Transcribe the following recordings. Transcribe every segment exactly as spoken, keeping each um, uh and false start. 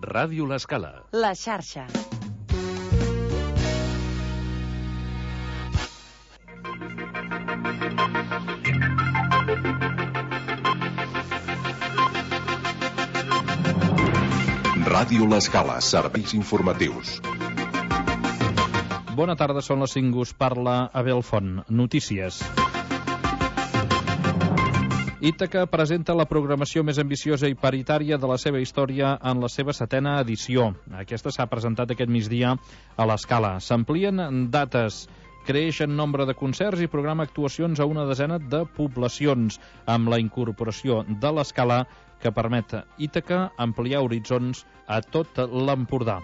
Ràdio L'Escala. La xarxa. Ràdio L'Escala, serveis informatius. Bona tarda, són les cinc, us parla Abel Font. Notícies. Ítaca presenta la programació més ambiciosa i paritària de la seva història en la seva setena edició. Aquesta s'ha presentat aquest migdia a l'Escala. S'amplien dates, creix en nombre de concerts i programa actuacions a una desena de poblacions, amb la incorporació de l'Escala que permet a Ítaca ampliar horitzons a tot l'Empordà.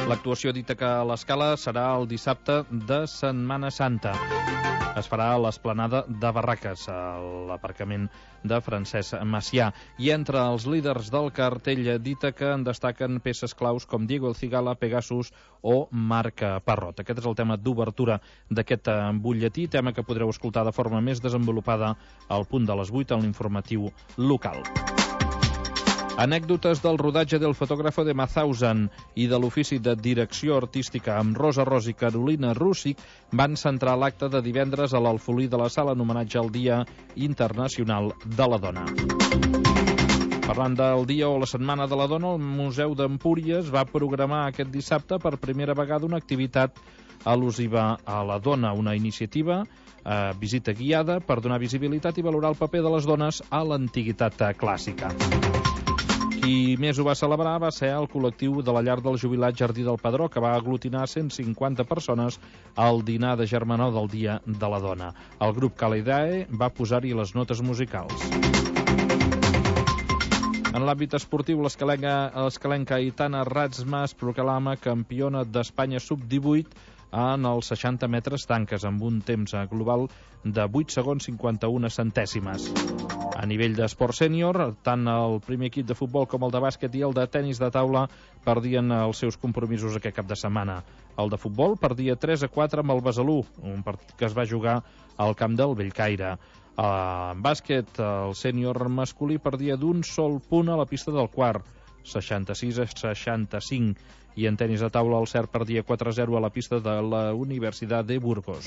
L'actuació d'Ítaca a l'Escala serà el dissabte de Setmana Santa. Es farà a l'esplanada de Barraques, a l'aparcament de Francesc Macià. I entre els líders del cartell d'Ítaca en destaquen peces claus com Diego El Cigala, Pegasus o Marc Parrot. Aquest és el tema d'obertura d'aquest butlletí, tema que podreu escoltar de forma més desenvolupada al punt de les vuit en l'informatiu local. Anècdotes del rodatge del fotògrafo de Mauthausen i de l'ofici de direcció artística amb Rosa Ros i Carolina Rússic van centrar l'acte de divendres a l'Alfolí de la Sala en homenatge al Dia Internacional de la Dona. Parlant del dia o la Setmana de la Dona, el Museu d'Empúries va programar aquest dissabte per primera vegada una activitat al·lusiva a la dona, una iniciativa eh, visita guiada per donar visibilitat i valorar el paper de les dones a l'antiguitat clàssica. Qui més ho va celebrar va ser el col·lectiu de la llar del jubilat Jardí del Pedró, que va aglutinar cent cinquanta persones al dinar de germanor del Dia de la Dona. El grup Calidae va posar-hi les notes musicals. En l'àmbit esportiu, l'escalenca Aitana Ratzma es proclama campiona d'Espanya sub divuit en els seixanta metres tanques, amb un temps global de vuit segons cinquanta-una centèsimes. A nivell d'esport sènior, tant el primer equip de futbol com el de bàsquet i el de tenis de taula perdien els seus compromisos aquest cap de setmana. El de futbol perdia tres a quatre amb el Besalú, un partit que es va jugar al camp del Bellcaire. En bàsquet, el sènior masculí perdia d'un sol punt a la pista del Quart, seixanta-sis a seixanta-cinc, i en tenis de taula el Cert perdia quatre a zero a la pista de la Universitat de Burgos.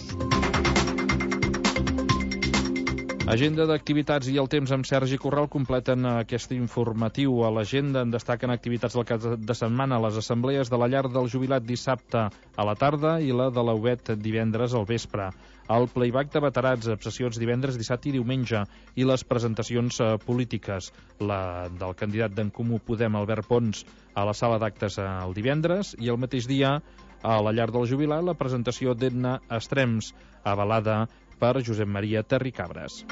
Agenda d'activitats i el temps amb Sergi Corral completen aquest informatiu. A l'agenda en destaquen activitats del cap de setmana, les assemblees de la llar del jubilat dissabte a la tarda i la de l'U B E T divendres al vespre. El playback de veterans, sessions divendres, dissabte i diumenge, i les presentacions eh, polítiques. La del candidat d'En Comú Podem, Albert Pons, a la sala d'actes el divendres, i el mateix dia a la llar del jubilat la presentació d'Edna Estrems, avalada per Josep Maria Terricabres.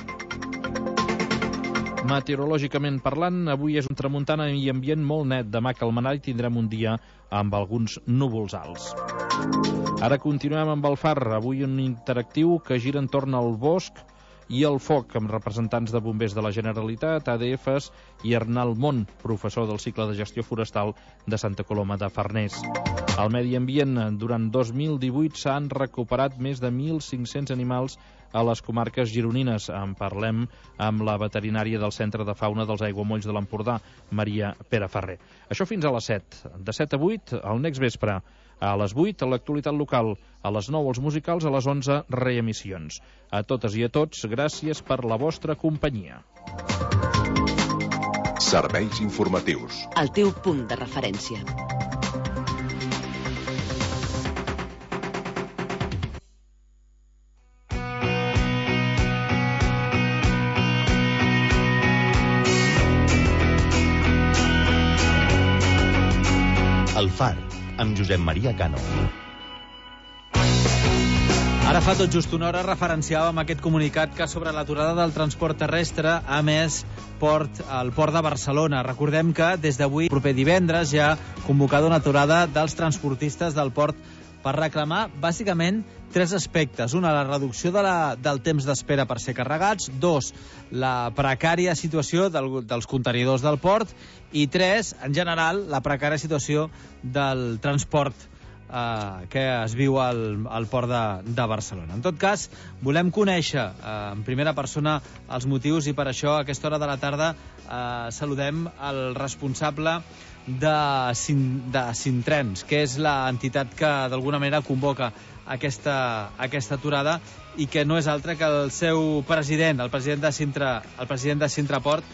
Meteorològicament parlant, avui és un tramuntana i ambient molt net. Demà calmarà i tindrem un dia amb alguns núvols alts. Ara continuem amb el far, avui un interactiu que gira entorn al bosc i el foc, amb representants de bombers de la Generalitat, A D Fs i Arnal Mont, professor del cicle de gestió forestal de Santa Coloma de Farners. Al medi ambient, durant dos mil divuit s'han recuperat més de mil cinc-cents animals a les comarques gironines. En parlem amb la veterinària del Centre de Fauna dels Aiguamolls de l'Empordà, Maria Pere Ferrer. Això fins a les set. De set a vuit, al Next Vespre. A les vuit, a l'actualitat local. A les nou, els musicals. A les onze, reemissions. A totes i a tots, gràcies per la vostra companyia. Serveis informatius. El teu punt de referència. El Far, amb Josep Maria Cano. Ara fa tot just una hora referenciàvem aquest comunicat que sobre l'aturada del transport terrestre ha emès port, el Port de Barcelona. Recordem que des d'avui, proper divendres, ja ha convocat una aturada dels transportistes del port per reclamar, bàsicament, tres aspectes. Una, la reducció de la, del temps d'espera per ser carregats. Dos, la precària situació del, dels contenidors del port. I tres, en general, la precària situació del transport eh, que es viu al, al port de, de Barcelona. En tot cas, volem conèixer eh, en primera persona els motius i per això a aquesta hora de la tarda eh, saludem el responsable de, Sin, de Sintrens, que és l'entitat que d'alguna manera convoca aquesta, aquesta aturada i que no és altre que el seu president, el president de Sintra, el president de Sintraport,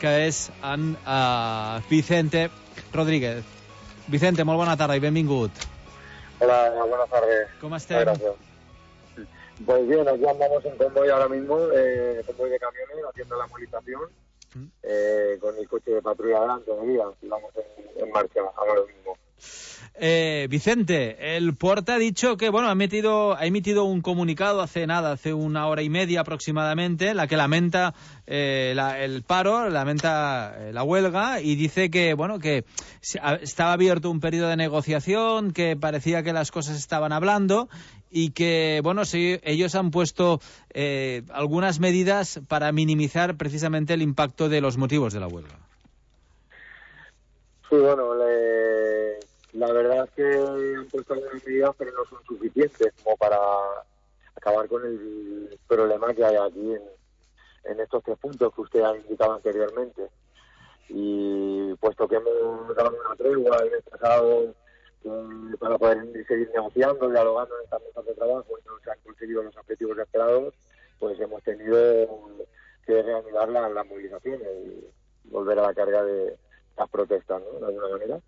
que és en uh, Vicente Rodríguez. Vicente, molt bona tarda i benvingut. Hola, buenas tardes. ¿Cómo estem? Gracias. Pues bien, aquí andamos en convoy ahora mismo, eh, convoy de camiones, haciendo la movilización, eh, con el coche de patrulla delante de día, y vamos en, en marcha ahora mismo. Eh, Vicente, el Port ha dicho que, bueno, ha, metido, ha emitido un comunicado hace nada, hace una hora y media aproximadamente, la que lamenta eh, la, el paro, lamenta eh, la huelga y dice que, bueno, que estaba abierto un periodo de negociación, que parecía que las cosas estaban hablando y que, bueno, sí, ellos han puesto eh, algunas medidas para minimizar precisamente el impacto de los motivos de la huelga. Sí, bueno, le... la verdad es que han puesto algunas medidas, pero no son suficientes como para acabar con el problema que hay aquí en, en estos tres puntos que usted ha indicado anteriormente. Y puesto que hemos dado una tregua el mes pasado eh, para poder seguir negociando, dialogando en estas mesas de trabajo y no se han conseguido los objetivos esperados, pues hemos tenido que reanudar las la movilizaciones y volver a la carga de las protestas, ¿no? De alguna manera.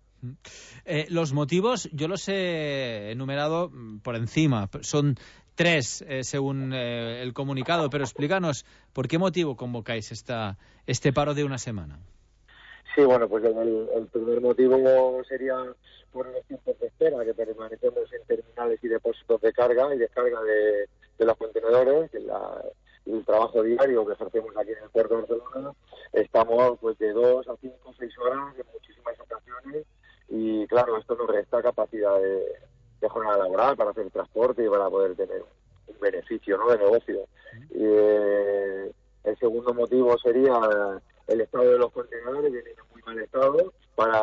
Eh, los motivos, yo los he enumerado por encima, son tres eh, según eh, el comunicado, pero explícanos, ¿por qué motivo convocáis esta, este paro de una semana? Sí, bueno, pues el, el primer motivo sería por los tiempos de espera, que permanecemos en terminales y depósitos de carga y descarga de, de los contenedores, que la, el trabajo diario que ejercemos aquí en el puerto de Barcelona, estamos pues de dos a cinco o seis horas en muchísimas ocasiones. Y claro, esto nos resta capacidad de, de jornada laboral para hacer transporte y para poder tener un beneficio, ¿no?, de negocio. Y, eh, el segundo motivo sería el estado de los contenedores, que vienen en muy mal estado, para,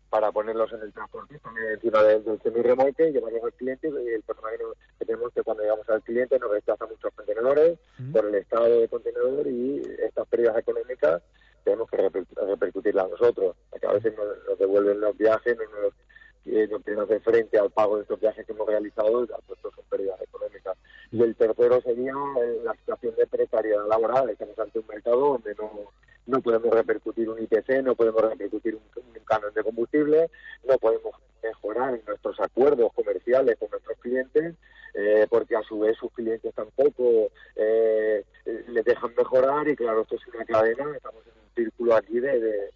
para ponerlos en el transporte, también encima del, del semirremolque y llevarlos al cliente. Y el problema que tenemos es que cuando llegamos al cliente nos rechaza muchos contenedores mm. por el estado de contenedor y estas pérdidas económicas tenemos que reper, repercutirla a nosotros, porque a veces nos, nos devuelven los viajes, no nos, eh, no quieren hacer frente al pago de estos viajes que hemos realizado, y pues son pérdidas económicas. Y el tercero sería eh, la situación de precariedad laboral. Estamos ante un mercado donde no, no podemos repercutir un I P C, no podemos repercutir un, un canon de combustible, no podemos mejorar en nuestros acuerdos comerciales con nuestros clientes, eh, porque a su vez sus clientes tampoco eh, les dejan mejorar, y claro, esto es una cadena, estamos en un círculo aquí de, de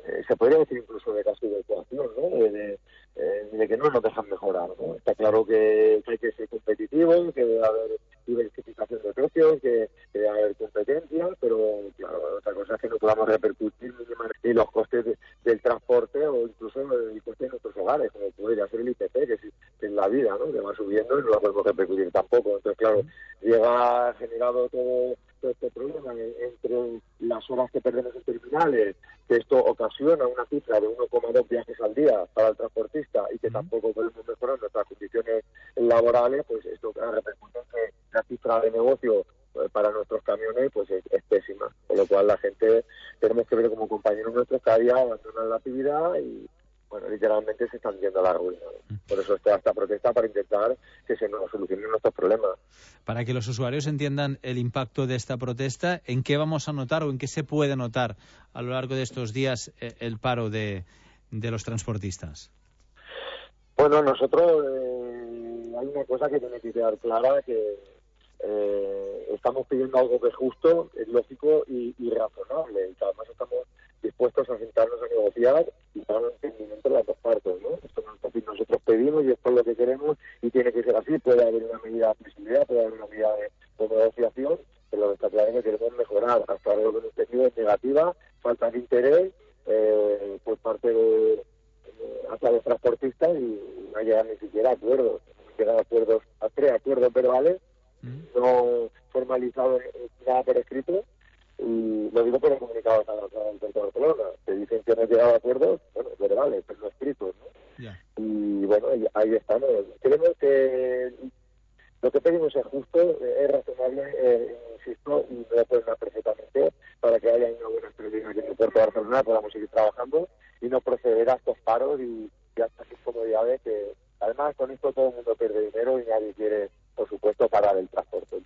eh, se podría decir incluso de casi de ecuación, ¿no?, de, de, eh, de que no nos dejan mejorar, ¿no? Está claro que, que hay que ser competitivos, que debe haber diversificación de precios, que, que debe haber competencia, pero claro, otra cosa es que no podamos repercutir ni los costes de, del transporte o incluso el coste de nuestros hogares, como podría ser el I P C, que es, que es la vida, ¿no?, que va subiendo y no lo podemos repercutir tampoco. Entonces, claro, llega generado todo, todo este problema entre las horas que perdemos en terminales, que esto ocasiona una cifra de uno coma dos viajes al día para el transportista y que tampoco podemos mejorar nuestras condiciones laborales, pues esto repercute en que la cifra de negocio para nuestros camiones pues es, es pésima, por lo cual la gente tenemos que ver como compañeros nuestros cada día abandonan la actividad y bueno, literalmente se están yendo a la ruina. Por eso está esta protesta, para intentar que se nos solucionen nuestros problemas. Para que los usuarios entiendan el impacto de esta protesta, ¿en qué vamos a notar o en qué se puede notar a lo largo de estos días el paro de, de los transportistas? Bueno, nosotros eh, hay una cosa que tiene que quedar clara, que eh, estamos pidiendo algo que es justo, es lógico y, y razonable, y que además estamos dispuestos a sentarnos a negociar y dar un entendimiento de las dos partes, ¿no? Esto es lo que nosotros pedimos y esto es lo que queremos y tiene que ser así. Puede haber una medida de flexibilidad, puede haber una medida de, de negociación, pero lo que está claro es que queremos mejorar. Hasta ahora lo que hemos tenido es negativa, falta de interés eh, por parte de eh, hasta los transportistas y no llegan ni siquiera a acuerdos. Hemos llegado a acuerdos, a tres acuerdos verbales, mm. no formalizados nada por escrito. Y lo digo por el comunicado del puerto de Barcelona, que dicen que no han llegado a acuerdos, bueno, verbales, pero no escritos, ¿no? Yeah. Y bueno, vamos, creemos que lo que pedimos es justo, es razonable, eh, insisto, y me lo pueden dar perfectamente, para que haya una buena experiencia aquí en el puerto de Barcelona, podamos seguir trabajando y no proceder a estos paros y, y a estas incomodidades que, además, con esto todo el mundo pierde dinero y nadie quiere, por supuesto, parar el transporte,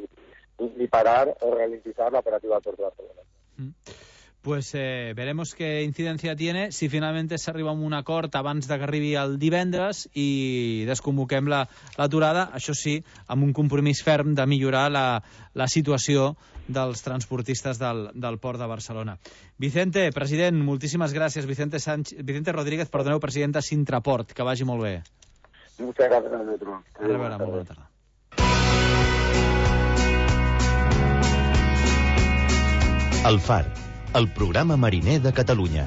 ni, ni parar o ralentizar la operativa del puerto de Barcelona. Mm. Pues eh, veremos qué incidència tiene, si finalment s'arriba a un acord abans de que arribi el divendres i desconvoquem l'aturada, la, això sí, amb un compromís ferm de millorar la, la situació dels transportistes del, del Port de Barcelona. Vicente, president, moltíssimes gràcies. Vicente, Sánchez, Vicente Rodríguez, perdoneu, president de Sintraport. Que vagi molt bé. Muchas gracias a nosotros. A reveure, molt bona tarda. El Far, el programa mariner de Catalunya.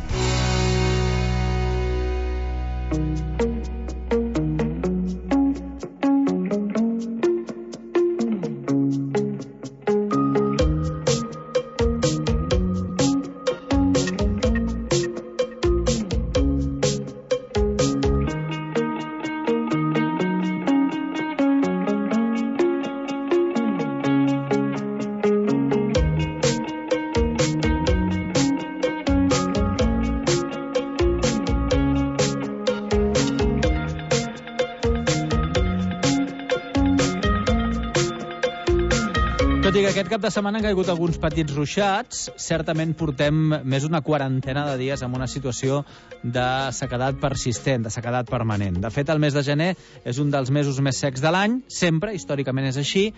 Tot i que aquest cap de setmana han caigut alguns petits ruixats, certament portem més d'una quarantena de dies amb una situació de sequedat persistent, de sequedat permanent. De fet, el mes de gener és un dels mesos més secs de l'any, sempre, històricament és així.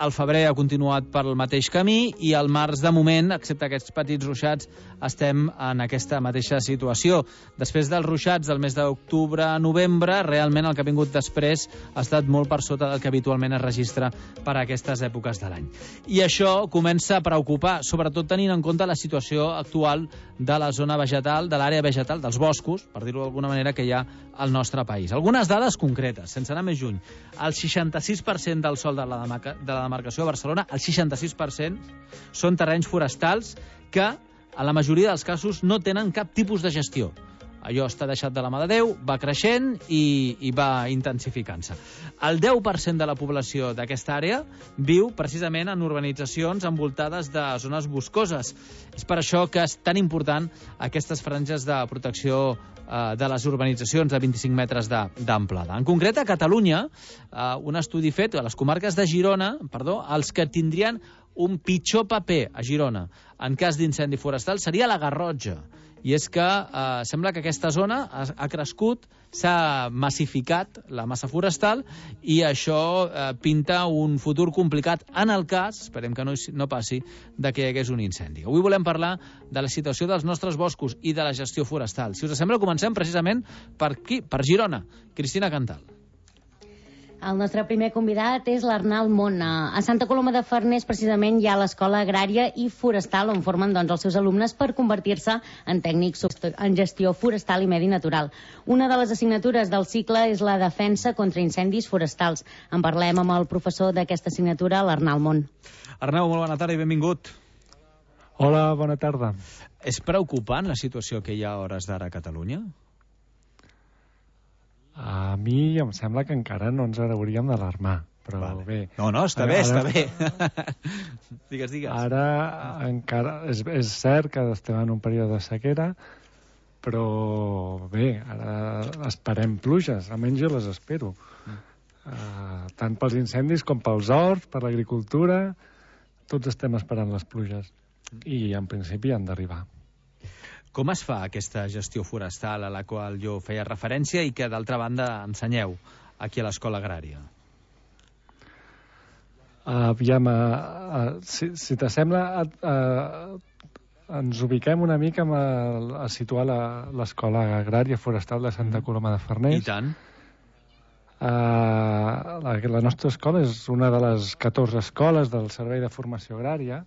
El febrer ha continuat pel mateix camí i el març, de moment, excepte aquests petits ruixats, estem en aquesta mateixa situació. Després dels ruixats del mes d'octubre a novembre, realment el que ha vingut després ha estat molt per sota del que habitualment es registra per a aquestes èpoques de l'any. I això comença a preocupar, sobretot tenint en compte la situació actual de la zona vegetal, de l'àrea vegetal, dels boscos, per dir-ho d'alguna manera, que hi ha al nostre país. Algunes dades concretes, sense anar més lluny. El seixanta-sis per cent del sòl de la, demarca, de la demarcació de Barcelona, el seixanta-sis per cent, són terrenys forestals que, en la majoria dels casos, no tenen cap tipus de gestió. Allò està deixat de la mà de Déu, va creixent i, i va intensificant-se. El deu per cent de la població d'aquesta àrea viu precisament en urbanitzacions envoltades de zones boscoses. És per això que és tan important aquestes franges de protecció eh, de les urbanitzacions de vint-i-cinc metres d'amplada. En concret, a Catalunya, eh, un estudi fet a les comarques de Girona, perdó, els que tindrien un pitjor paper a Girona en cas d'incendi forestal seria la Garrotxa. I és que eh, sembla que aquesta zona ha, ha crescut, s'ha massificat la massa forestal i això eh, pinta un futur complicat en el cas, esperem que no, no passi, de que hi hagués un incendi. Avui volem parlar de la situació dels nostres boscos i de la gestió forestal. Si us sembla, comencem precisament per aquí, per Girona. Cristina Cantal. El nostre primer convidat és l'Arnal Mona. A Santa Coloma de Farners, precisament, hi ha l'Escola Agrària i Forestal, on formen doncs, els seus alumnes per convertir-se en tècnics en gestió forestal i medi natural. Una de les assignatures del cicle és la defensa contra incendis forestals. En parlem amb el professor d'aquesta assignatura, l'Arnal Mon. Arnau, molt bona tarda i benvingut. Hola, bona tarda. És preocupant la situació que hi ha a hores d'ara a Catalunya? A mi em sembla que encara no ens hauríem d'alarmar, però vale. Bé. No, no, està ara, bé, està bé. digues, digues. Ara encara és, és cert que estem en un període de sequera, però bé, ara esperem pluges, almenys jo les espero. Mm. Uh, tant pels incendis com pels horts, per l'agricultura, tots estem esperant les pluges. I en principi han d'arribar. Com es fa aquesta gestió forestal a la qual jo feia referència i que, d'altra banda, ensenyeu aquí a l'Escola Agrària? Uh, aviam, uh, uh, si, si t'assembla, uh, uh, ens ubiquem una mica a, a situar l'Escola Agrària Forestal de Santa Coloma de Farners. I tant. Uh, la, la nostra escola és una de les catorze escoles del Servei de Formació Agrària,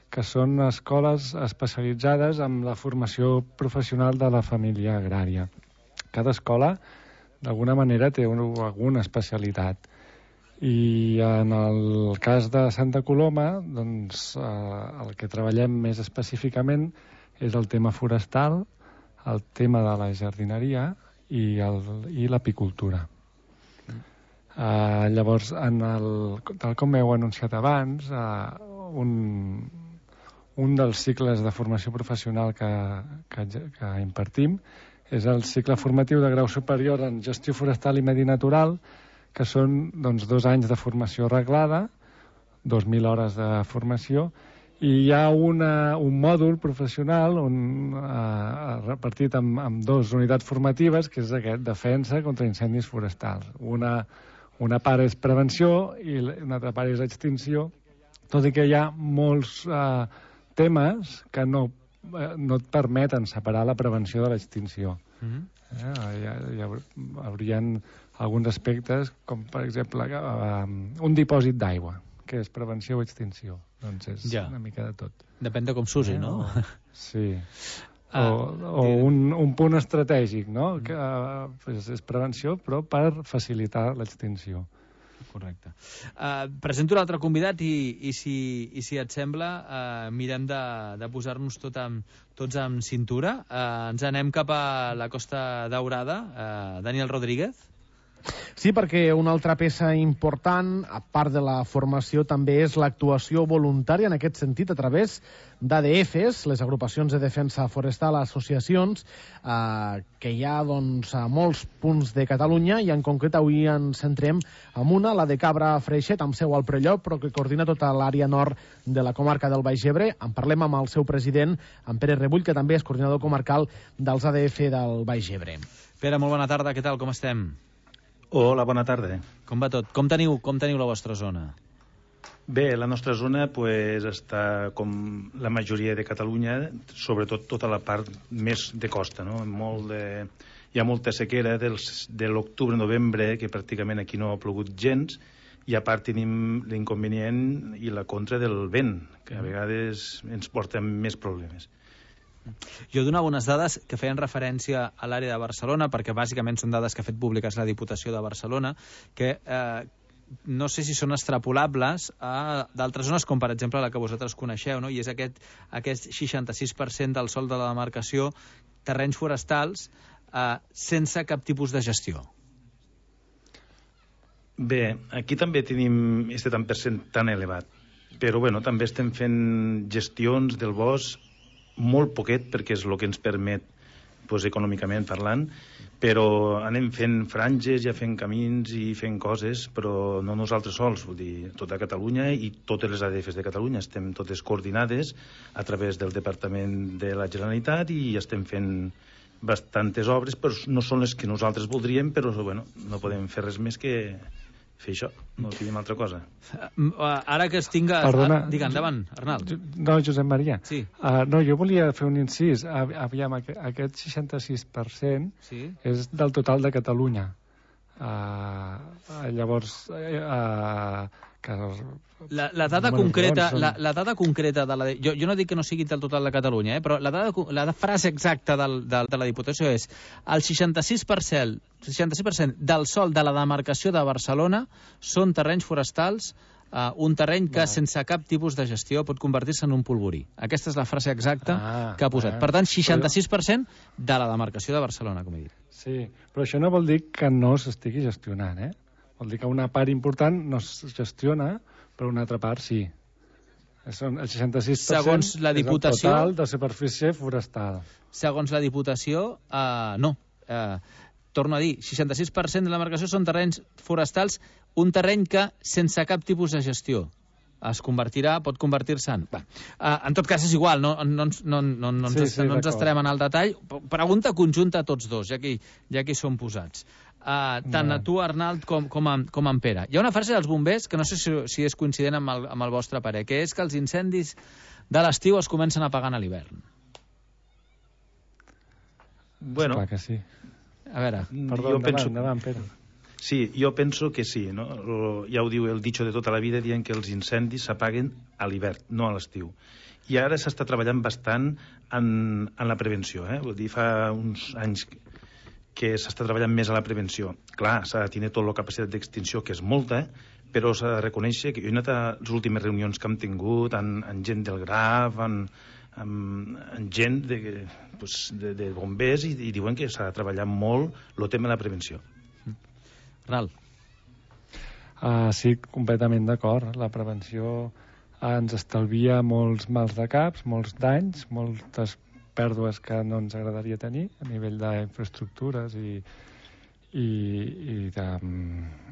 que són escoles especialitzades en la formació professional de la família agrària. Cada escola, d'alguna manera, té un, alguna especialitat. I en el cas de Santa Coloma, doncs, eh, el que treballem més específicament és el tema forestal, el tema de la jardineria i, el, i l'apicultura. Uh, llavors, en el, tal com heu anunciat abans, uh, un, un dels cicles de formació professional que, que, que impartim és el cicle formatiu de grau superior en gestió forestal i medi natural, que són doncs, dos anys de formació reglada, dos mil hores de formació, i hi ha una, un mòdul professional on, eh, repartit amb, amb dues unitats formatives, que és aquest, defensa contra incendis forestals. Una, una part és prevenció i una altra part és extinció, tot i que hi ha molts eh, temes que no, eh, no et permeten separar la prevenció de l'extinció. Mm-hmm. eh, hi, ha, hi haurien alguns aspectes, com per exemple eh, un dipòsit d'aigua, que és prevenció o extinció. Doncs és ja. Una mica de tot. Depèn de com s'usi, eh, no? O, sí. Ah, o o un, un punt estratègic, no? Mm. Que uh, pues és prevenció, però per facilitar l'extinció. Correcte. Uh, presento l'altre convidat i, i, si, i si et sembla uh, mirem de, de posar-nos tot amb, tots amb cintura. Uh, ens anem cap a la Costa Daurada. Uh, Daniel Rodríguez. Sí, perquè una altra peça important, a part de la formació, també és l'actuació voluntària en aquest sentit a través d'A D Fs, les agrupacions de defensa forestal, associacions, eh, que hi ha doncs, a molts punts de Catalunya, i en concret avui ens centrem en una, la de Cabra Freixet, amb seu al Prelló, però que coordina tota l'àrea nord de la comarca del Baix Ebre. En parlem amb el seu president, en Pere Rebull, que també és coordinador comarcal dels A D F del Baix Ebre. Pere, molt bona tarda, què tal, com estem? Hola, bona tarda. Com va tot? Com teniu, com teniu la vostra zona? Bé, la nostra zona pues, està com la majoria de Catalunya, sobretot tota la part més de costa. No? Molt de... Hi ha molta sequera dels, de l'octubre-novembre, que pràcticament aquí no ha plogut gens, i a part tenim l'inconvenient i la contra del vent, que a vegades ens porta més problemes. Jo donava unes dades que feien referència a l'àrea de Barcelona, perquè bàsicament són dades que ha fet públiques la Diputació de Barcelona, que eh, no sé si són extrapolables a d'altres zones, com per exemple la que vosaltres coneixeu, no? I és aquest, aquest seixanta-sis per cent del sòl de la demarcació, terrenys forestals, eh, sense cap tipus de gestió. Bé, aquí també tenim aquest tant per cent tan elevat, però bueno, també estem fent gestions del bosc molt poquet, perquè és el que ens permet doncs, econòmicament parlant, però anem fent franges, ja fent camins i fent coses, però no nosaltres sols, vull dir, tota Catalunya i totes les A D Fs de Catalunya estem totes coordinades a través del Departament de la Generalitat i estem fent bastantes obres, però no són les que nosaltres voldríem, però bueno, no podem fer res més que fer això, no tenim altra cosa. Ara que es tinga... Perdona, Digue, endavant, Arnald. No, Josep Maria. Sí. Uh, no, jo volia fer un incís. Aviam, aquest seixanta-sis per cent sí. és del total de Catalunya. Uh, llavors... Uh, que la, la dada bueno, concreta són... la, la dada concreta de la... Jo, jo no dic que no sigui del total de Catalunya, eh, però la, dada, la frase exacta del, de, de la Diputació és el seixanta-sis per cent, seixanta-sis per cent del sòl de la demarcació de Barcelona són terrenys forestals, uh, un terreny que no. sense cap tipus de gestió pot convertir-se en un polvorí. Aquesta és la frase exacta ah, que ha posat. Ah, per tant, seixanta-sis per cent de la demarcació de Barcelona, com he dit. Sí, però això no vol dir que no s'estigui gestionant, eh? Vol dir que una part important no es gestiona, però una altra part sí. Són el seixanta-sis per cent segons la Diputació, és el total de superfície forestal. Segons la Diputació, uh, no. Uh, torno a dir, seixanta-sis per cent de la demarcació són terrenys forestals, un terreny que, sense cap tipus de gestió, es convertirà, pot convertir-se en... Va. Uh, en tot cas, és igual, no, no, no, no, no, sí, ens, sí, no ens estarem en el detall. Pregunta conjunta a tots dos, ja que, ja que hi som posats. Uh, tant a tu, Arnald, com, com, a, com a en Pere. Hi ha una frase dels bombers que no sé si, si és coincident amb el, amb el vostre parer, que és que els incendis de l'estiu es comencen a apagar a l'hivern. Bueno, clar que sí. A veure, perdó, endavant, penso... endavant, Pere. Sí, jo penso que sí, no? Ja ho diu el dicho de tota la vida, dient que els incendis s'apaguen a l'hivern, no a l'estiu. I ara s'està treballant bastant en, en la prevenció, eh? Vull dir, fa uns anys que s'està treballant més a la prevenció. Clar, s'ha de tenir tota la capacitat d'extinció, que és molta, però s'ha de reconèixer que jo he anat a les últimes reunions que hem tingut amb, amb gent del Graf, amb, amb, amb gent de, pues, de, de bombers, i, i diuen que s'ha de treballar molt el tema de la prevenció. Ral. Uh, sí, completament d'acord. La prevenció ens estalvia molts mals de caps, molts danys, moltes pèrdues que no ens agradaria tenir a nivell d'infraestructures i, i, i, de,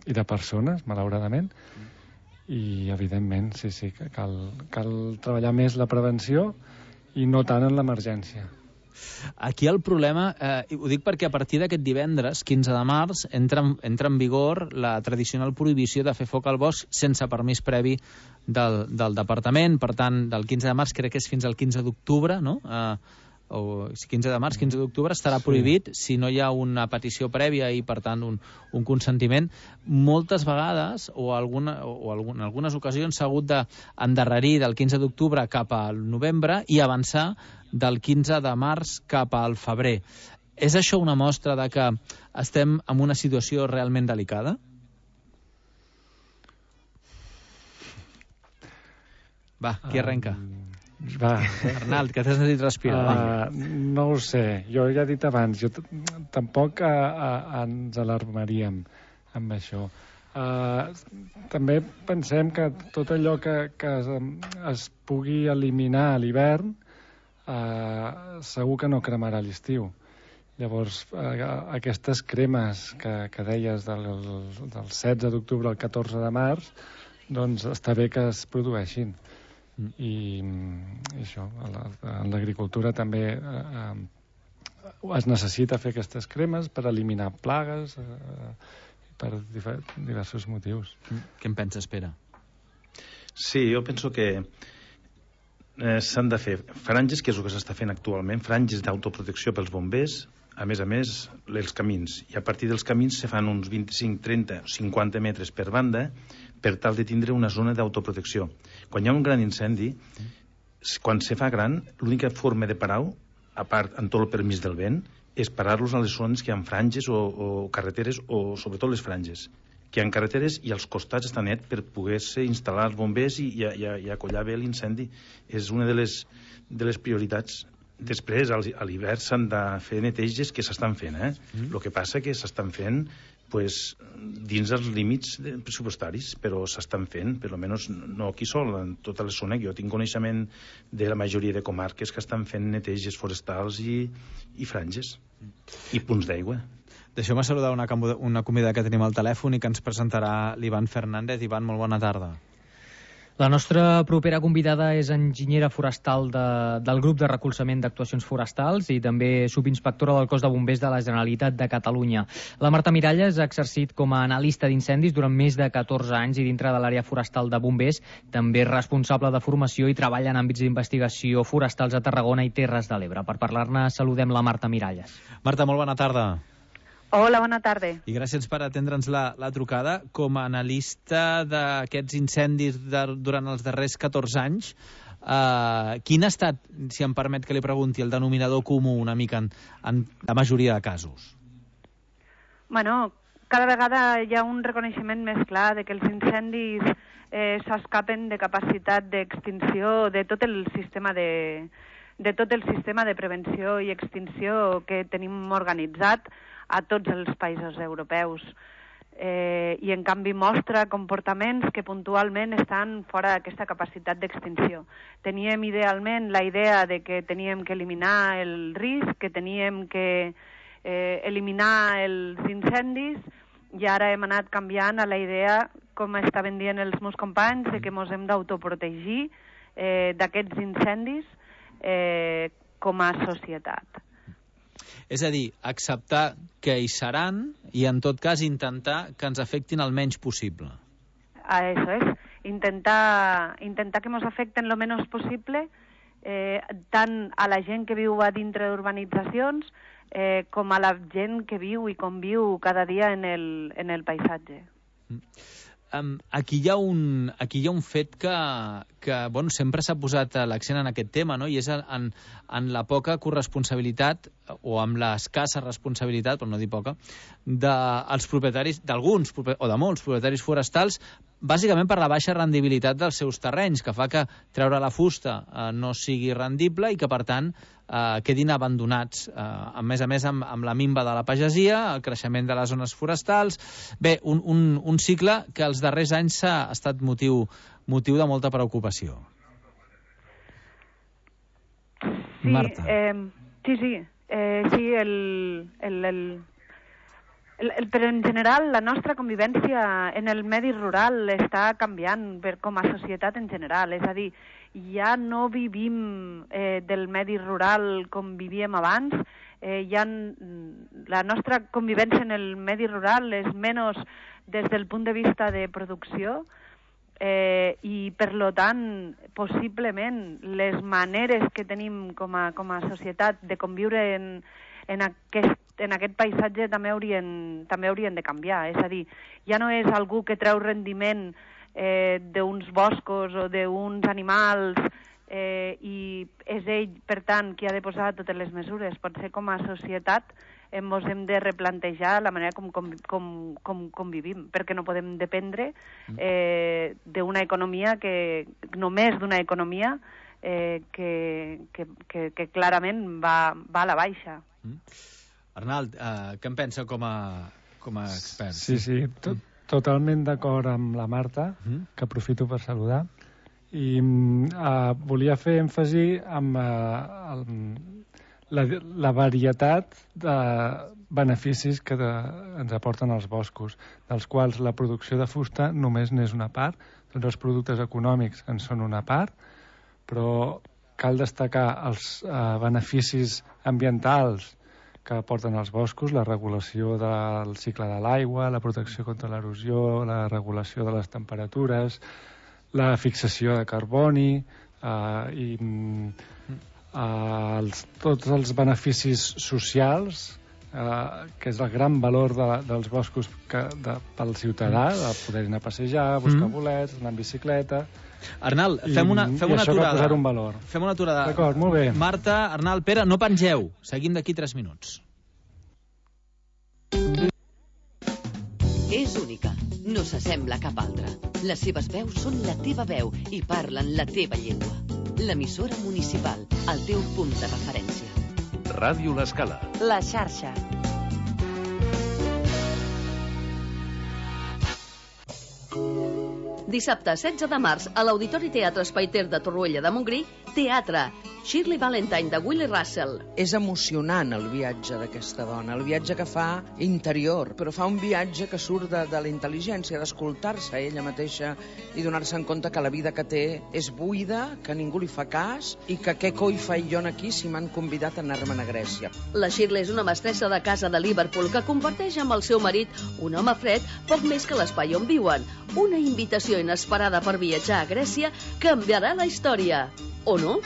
i de persones, malauradament. I, evidentment, sí, sí, que cal, cal treballar més la prevenció i no tant en l'emergència. Aquí el problema, eh, ho dic perquè a partir d'aquest divendres, quinze de març, entra, entra en vigor la tradicional prohibició de fer foc al bosc sense permís previ del, del departament. Per tant, del quinze de març crec que és fins al quinze d'octubre, no? Eh, o quinze de març, quinze d'octubre estarà prohibit si no hi ha una petició prèvia i, per tant, un, un consentiment. Moltes vegades, o, alguna, o alguna, en algunes ocasions, s'ha hagut d'endarrerir del quinze d'octubre cap al novembre i avançar del quinze de març cap al febrer. És això una mostra de que estem en una situació realment delicada? Va, qui arrenca? Um... Va. Arnald, que t'has sentit respirar. Uh, no ho sé, jo ja he dit abans, jo tampoc uh, uh, ens alarmaríem amb això. Uh, també pensem que tot allò que, que es, es pugui eliminar a l'hivern uh, segur que no cremarà a l'estiu. Llavors, uh, aquestes cremes que, que deies del, del setze d'octubre al catorze de març, doncs està bé que es produeixin. I, i això, en l'agricultura també eh, es necessita fer aquestes cremes per eliminar plagues eh, per diversos motius. Què en penses, Pere? Sí, jo penso que eh, s'han de fer franges, que és el que s'està fent actualment, franges d'autoprotecció pels bombers, a més a més, els camins. I a partir dels camins se fan uns vint-i-cinc, trenta, cinquanta metres per banda per tal de tindre una zona d'autoprotecció. Quan hi ha un gran incendi, quan se fa gran, l'única forma de parar-ho, a part amb tot el permís del vent, és parar-los a les zones que hi ha franges o, o carreteres, o sobretot les franges, que hi ha carreteres i als costats està net per poder-se instal·lar els bombers i, i, i, i acollar bé l'incendi. És una de les, de les prioritats. Després, a l'hivern s'han de fer neteges que s'estan fent, eh? Mm. El que passa que s'estan fent pues, dins els límits pressupostaris, però s'estan fent, per almenys no aquí sol, en tota la zona. Jo tinc coneixement de la majoria de comarques que estan fent neteges forestals i, i franges, i punts d'aigua. Deixeu-me saludar una, una convidada que tenim al telèfon i que ens presentarà l'Ivan Fernández. Ivan, molt bona tarda. La nostra propera convidada és enginyera forestal de, del grup de recolzament d'actuacions forestals i també subinspectora del cos de bombers de la Generalitat de Catalunya. La Marta Miralles ha exercit com a analista d'incendis durant més de catorze anys i dintre de l'àrea forestal de bombers també és responsable de formació i treballa en àmbits d'investigació forestals a Tarragona i Terres de l'Ebre. Per parlar-ne saludem la Marta Miralles. Marta, molt bona tarda. Hola, bona tarda. I gràcies per atendre'ns la, la trucada. Com a analista d'aquests incendis de, durant els darrers catorze anys, eh, quin ha estat, si em permet que li pregunti, el denominador comú una mica en, en la majoria de casos? Bueno, cada vegada hi ha un reconeixement més clar de que els incendis eh, s'escapen de capacitat d'extinció de tot el sistema de, de tot el sistema de prevenció i extinció que tenim organitzat a tots els països europeus. Eh, I en canvi mostra comportaments que puntualment estan fora d'aquesta capacitat d'extinció. Teníem idealment la idea de que teníem que eliminar el risc, que teníem que eh, eliminar els incendis, i ara hem anat canviant a la idea, com estaven dient els meus companys, de que ens hem d'autoprotegir eh, d'aquests incendis eh, com a societat. És a dir, acceptar que hi seran i, en tot cas, intentar que ens afectin el menys possible. Ah, eso es. Intentar, intentar que ens afecten lo menos possible, eh, tant a la gent que viu a dintre d'urbanitzacions eh, com a la gent que viu i conviu cada dia en el, en el paisatge. Um, aquí, hi ha un, aquí hi ha un fet que, que bueno, sempre s'ha posat l'accent en aquest tema, no? I és en, en la poca corresponsabilitat, o amb l'escassa responsabilitat, per no dir poca, dels propietaris, d'alguns, o de molts propietaris forestals, bàsicament per la baixa rendibilitat dels seus terrenys, que fa que treure la fusta eh, no sigui rendible i que, per tant, eh, quedin abandonats. Eh, a més a més, amb, amb la minva de la pagesia, el creixement de les zones forestals... Bé, un, un, un cicle que els darrers anys ha estat motiu, motiu de molta preocupació. Sí, Marta. Eh, sí, sí. Eh, sí, el... el, el... El, el, però en general la nostra convivència en el medi rural està canviant per, com a societat en general, és a dir, ja no vivim eh, del medi rural com vivíem abans, eh, ja la nostra convivència en el medi rural és menys des del punt de vista de producció eh, i per lo tant possiblement les maneres que tenim com a, com a societat de conviure en, en aquest en aquest paisatge també haurien, també haurien de canviar. És a dir, ja no és algú que treu rendiment eh, d'uns boscos o d'uns animals eh, i és ell, per tant, qui ha de posar totes les mesures. Potser com a societat ens hem de replantejar la manera com, com, com, com, com vivim, perquè no podem dependre eh, d'una economia que, només d'una economia eh, que, que, que, que clarament va, va a la baixa. Mm. Arnald, eh, què en pensa com a, com a expert? Sí, sí, tot, totalment d'acord amb la Marta, mm. que aprofito per saludar. I eh, volia fer èmfasi amb eh, el, la, la varietat de beneficis que de, ens aporten els boscos, dels quals la producció de fusta només n'és una part, tots els productes econòmics en són una part, però cal destacar els eh, beneficis ambientals que aporten els boscos, la regulació del cicle de l'aigua, la protecció contra l'erosió, la regulació de les temperatures, la fixació de carboni eh, i eh, els, tots els beneficis socials, eh, que és el gran valor de, dels boscos que, de, pel ciutadà, de poder anar a passejar, buscar mm. bolets, anar en bicicleta... Arnald, fem una, fem I una això aturada. cal posar un valor. Fem una aturada. D'acord, molt bé. Marta, Arnald, Pere, no pengeu. Seguim d'aquí tres minuts. És única, no s'assembla a cap altra. Les seves veus són la teva veu i parlen la teva llengua. L'emissora municipal, el teu punt de referència. Ràdio L'Escala. La xarxa. Dissabte setze de març a l'Auditori Teatre Espai Ter de Torroella de Montgrí, teatre Shirley Valentine de Willie Russell. És emocionant el viatge d'aquesta dona, el viatge que fa interior, però fa un viatge que surt de, de la intel·ligència, d'escoltar-se a ella mateixa i donar-se en compte que la vida que té és buida, que ningú li fa cas i que què coi faig jo aquí si m'han convidat a anar-me'n a Grècia. La Shirley és una mestressa de casa de Liverpool que comparteix amb el seu marit, un home fred, poc més que l'espai on viuen. Una invitació inesperada per viatjar a Grècia canviarà la història. O no?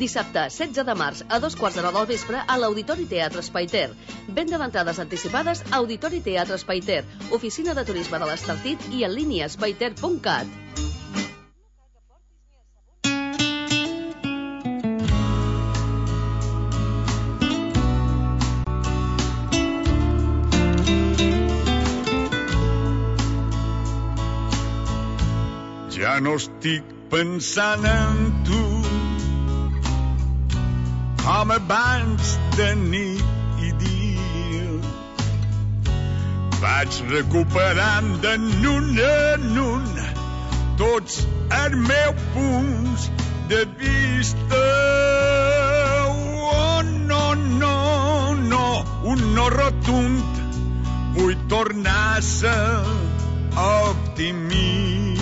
Dissabte, setze de març, a dos quarts d'hora del vespre, a l'Auditori Teatre Espai Ter. Venda d'entrades anticipades a Auditori Teatre Espai Ter, oficina de turisme de l'Estartit i en línia espaiter punt cat. Ja no estic pensant en tu com abans de nit i dia. Vaig recuperant de nun en un tots els meus punts de vista. Oh, no, no, no, un no rotund. Vull tornar a ser optimista.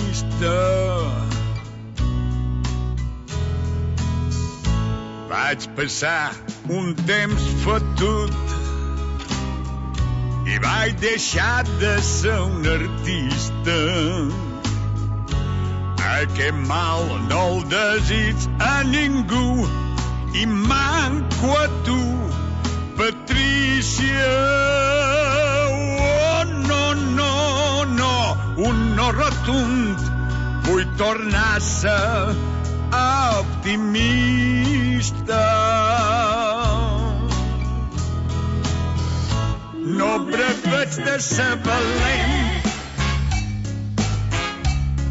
Vaig passar un temps fotut i vaig deixar de ser un artista. Aquest mal no el desig a ningú i manco a tu, Patrícia. Oh, no, no, no, un no rotund. Vull tornar a ser optimista. No preveig de ser valent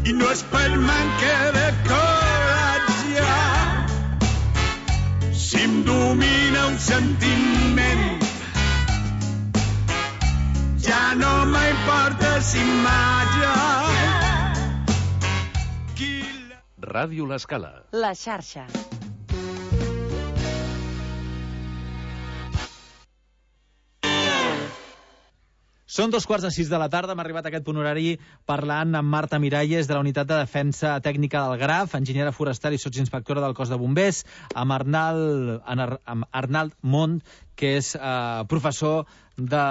i no és per manca de coratge. Si em domina un sentiment, ja no m'importa si imatge. Ràdio L'Escala. La xarxa. Són dos quarts de sis de la tarda, hem arribat a aquest punt horari parlant amb Marta Miralles de la Unitat de Defensa Tècnica del Graf, enginyera forestal i sotsinspectora del Cos de Bombers, amb Arnald, amb Arnald Mont, que és eh, professor de,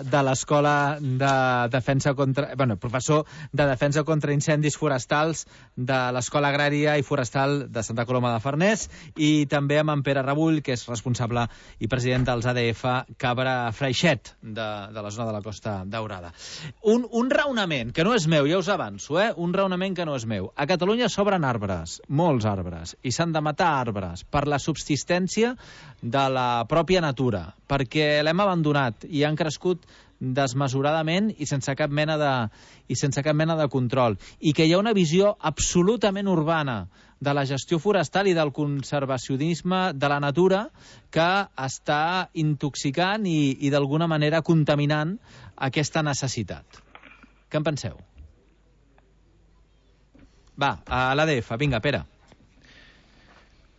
de l'Escola de Defensa contra... Bueno, professor de Defensa contra Incendis Forestals de l'Escola Agrària i Forestal de Santa Coloma de Farners, i també amb en Pere Rebull, que és responsable i president dels A D F Cabra Freixet, de, de la zona de la Costa Daurada. Un, un raonament, que no és meu, ja us avanço, eh? Un raonament que no és meu. A Catalunya s'obren arbres, molts arbres, i s'han de matar arbres per la subsistència de la pròpia natura, perquè l'hem abandonat i han crescut desmesuradament i sense cap mena de, i sense cap mena de control. I que hi ha una visió absolutament urbana de la gestió forestal i del conservacionisme de la natura que està intoxicant i, i d'alguna manera contaminant aquesta necessitat. Què en penseu? Va, a l'A D F, vinga, Pere.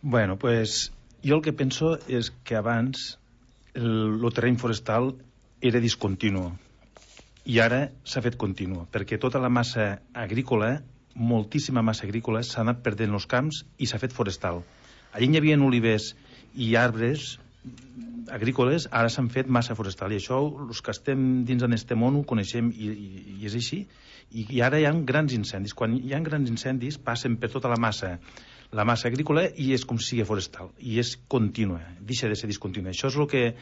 Bueno, pues jo el que penso és que abans el, el terreny forestal era discontinu i ara s'ha fet continu, perquè tota la massa agrícola, moltíssima massa agrícola, s'ha anat perdent els camps i s'ha fet forestal. Allí hi havia olivers i arbres agrícoles, ara s'han fet massa forestal, i això els que estem dins en este món ho coneixem i, i, i és així. I, i ara hi ha grans incendis. Quan hi ha grans incendis passen per tota la massa la massa agrícola i és com si sigui forestal i és contínua, deixa de ser discontínua. Això és el que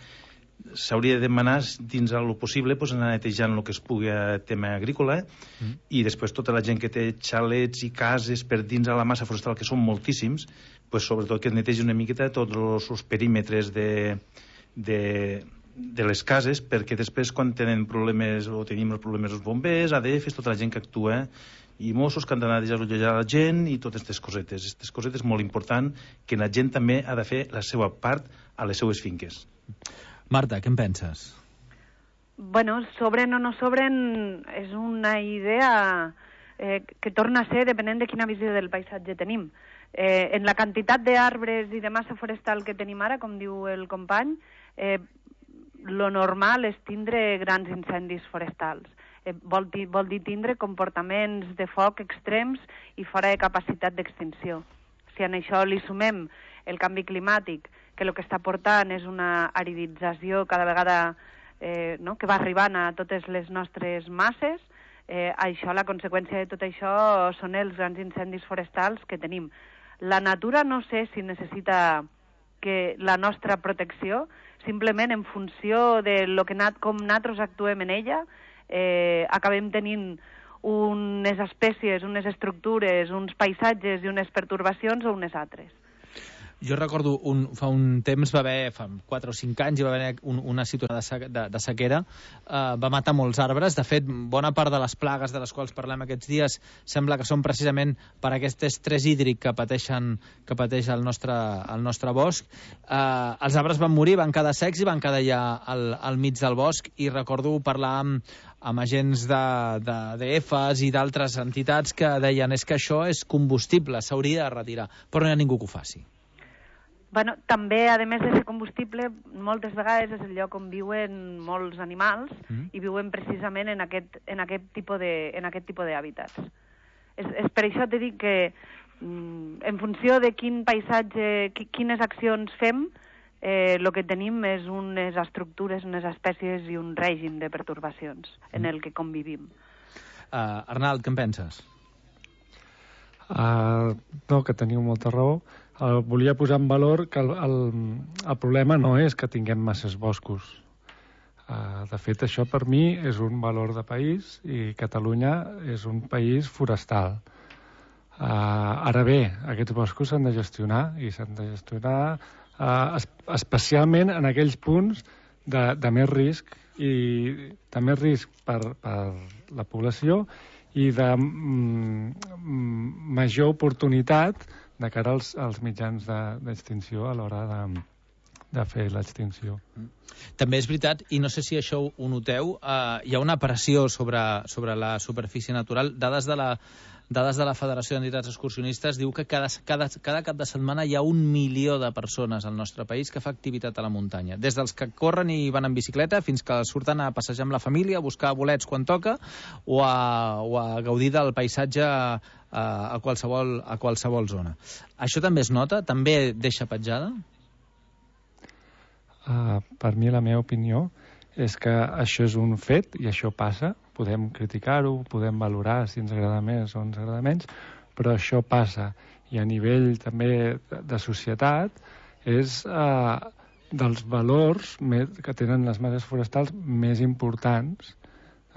s'hauria de demanar dins el possible, pues, anar netejant el que es pugui a tema agrícola mm. i després tota la gent que té xalets i cases per dins a la massa forestal, que són moltíssims, pues, sobretot que es netegi una miqueta tots els, els perímetres de, de, de les cases, perquè després quan tenen problemes o tenim els problemes els bombers, A D Fs, tota la gent que actua i Mossos que han d'anar a desallotjar la gent i totes aquestes cosetes. Aquestes cosetes molt important que la gent també ha de fer la seva part a les seues finques. Marta, què en penses? Bueno, sobren o no sobren és una idea eh, que torna a ser depenent de quina visió del paisatge tenim. Eh, en la quantitat d'arbres i de massa forestal que tenim ara, com diu el company, eh, lo normal és tindre grans incendis forestals. Eh, vol, dir, vol dir tindre comportaments de foc extrems i fora de capacitat d'extinció. Si en això li sumem el canvi climàtic, que el que està portant és una aridització cada vegada eh, no? que va arribant a totes les nostres masses, eh, això, la conseqüència de tot això són els grans incendis forestals que tenim. La natura no sé si necessita que la nostra protecció, simplement en funció de lo que nat, com nosaltres actuem en ella, eh, acabem tenint unes espècies, unes estructures, uns paisatges i unes pertorbacions o unes altres. Jo recordo, un, fa un temps va haver, fa quatre o cinc anys, hi va haver un, una situació de, se, de, de sequera, eh, va matar molts arbres. De fet, bona part de les plagues de les quals parlem aquests dies sembla que són precisament per aquest estrès hídric que pateixen, que pateix el nostre, el nostre bosc. Eh, els arbres van morir, van quedar secs i van quedar ja al, al mig del bosc, i recordo parlar amb, amb agents de, de, de Efes i d'altres entitats que deien és que això és combustible, s'hauria de retirar, però no hi ha ningú que ho faci. Bueno, també, a més de ser combustible, moltes vegades és el lloc on viuen molts animals mm. i viuen precisament en aquest, en aquest tipus de, en aquest tipus d'hàbitats. És, és per això t'he dit que mm, en funció de quin paisatge, qui, quines accions fem, eh, el que tenim és unes estructures, unes espècies i un règim de pertorbacions mm. en el que convivim. Uh, Arnald, què en penses? Uh, no, que teniu molta raó. Uh, volia posar en valor que el, el, el problema no és que tinguem masses boscos. Uh, de fet, això per mi és un valor de país i Catalunya és un país forestal. Uh, ara bé, aquests boscos s'han de gestionar i s'han de gestionar uh, es especialment en aquells punts de, de més risc i de més risc per, per la població i de mm, major oportunitat de cara als, als mitjans d'extinció a l'hora de, de fer l'extinció. També és veritat, i no sé si això ho noteu, eh, hi ha una pressió sobre, sobre la superfície natural. Dades de la, dades de la Federació d'Entitats Excursionistes diu que cada, cada, cada cap de setmana hi ha un milió de persones al nostre país que fa activitat a la muntanya. Des dels que corren i van en bicicleta fins que surten a passejar amb la família, a buscar bolets quan toca o a, o a gaudir del paisatge a, a, qualsevol, a qualsevol zona. Això també es nota? També deixa petjada? Uh, per mi, la meva opinió és que això és un fet i això passa. Podem criticar-ho, podem valorar si ens agrada més o ens agrada menys, però això passa. I a nivell també de, de societat és uh, dels valors més, que tenen les masses forestals més importants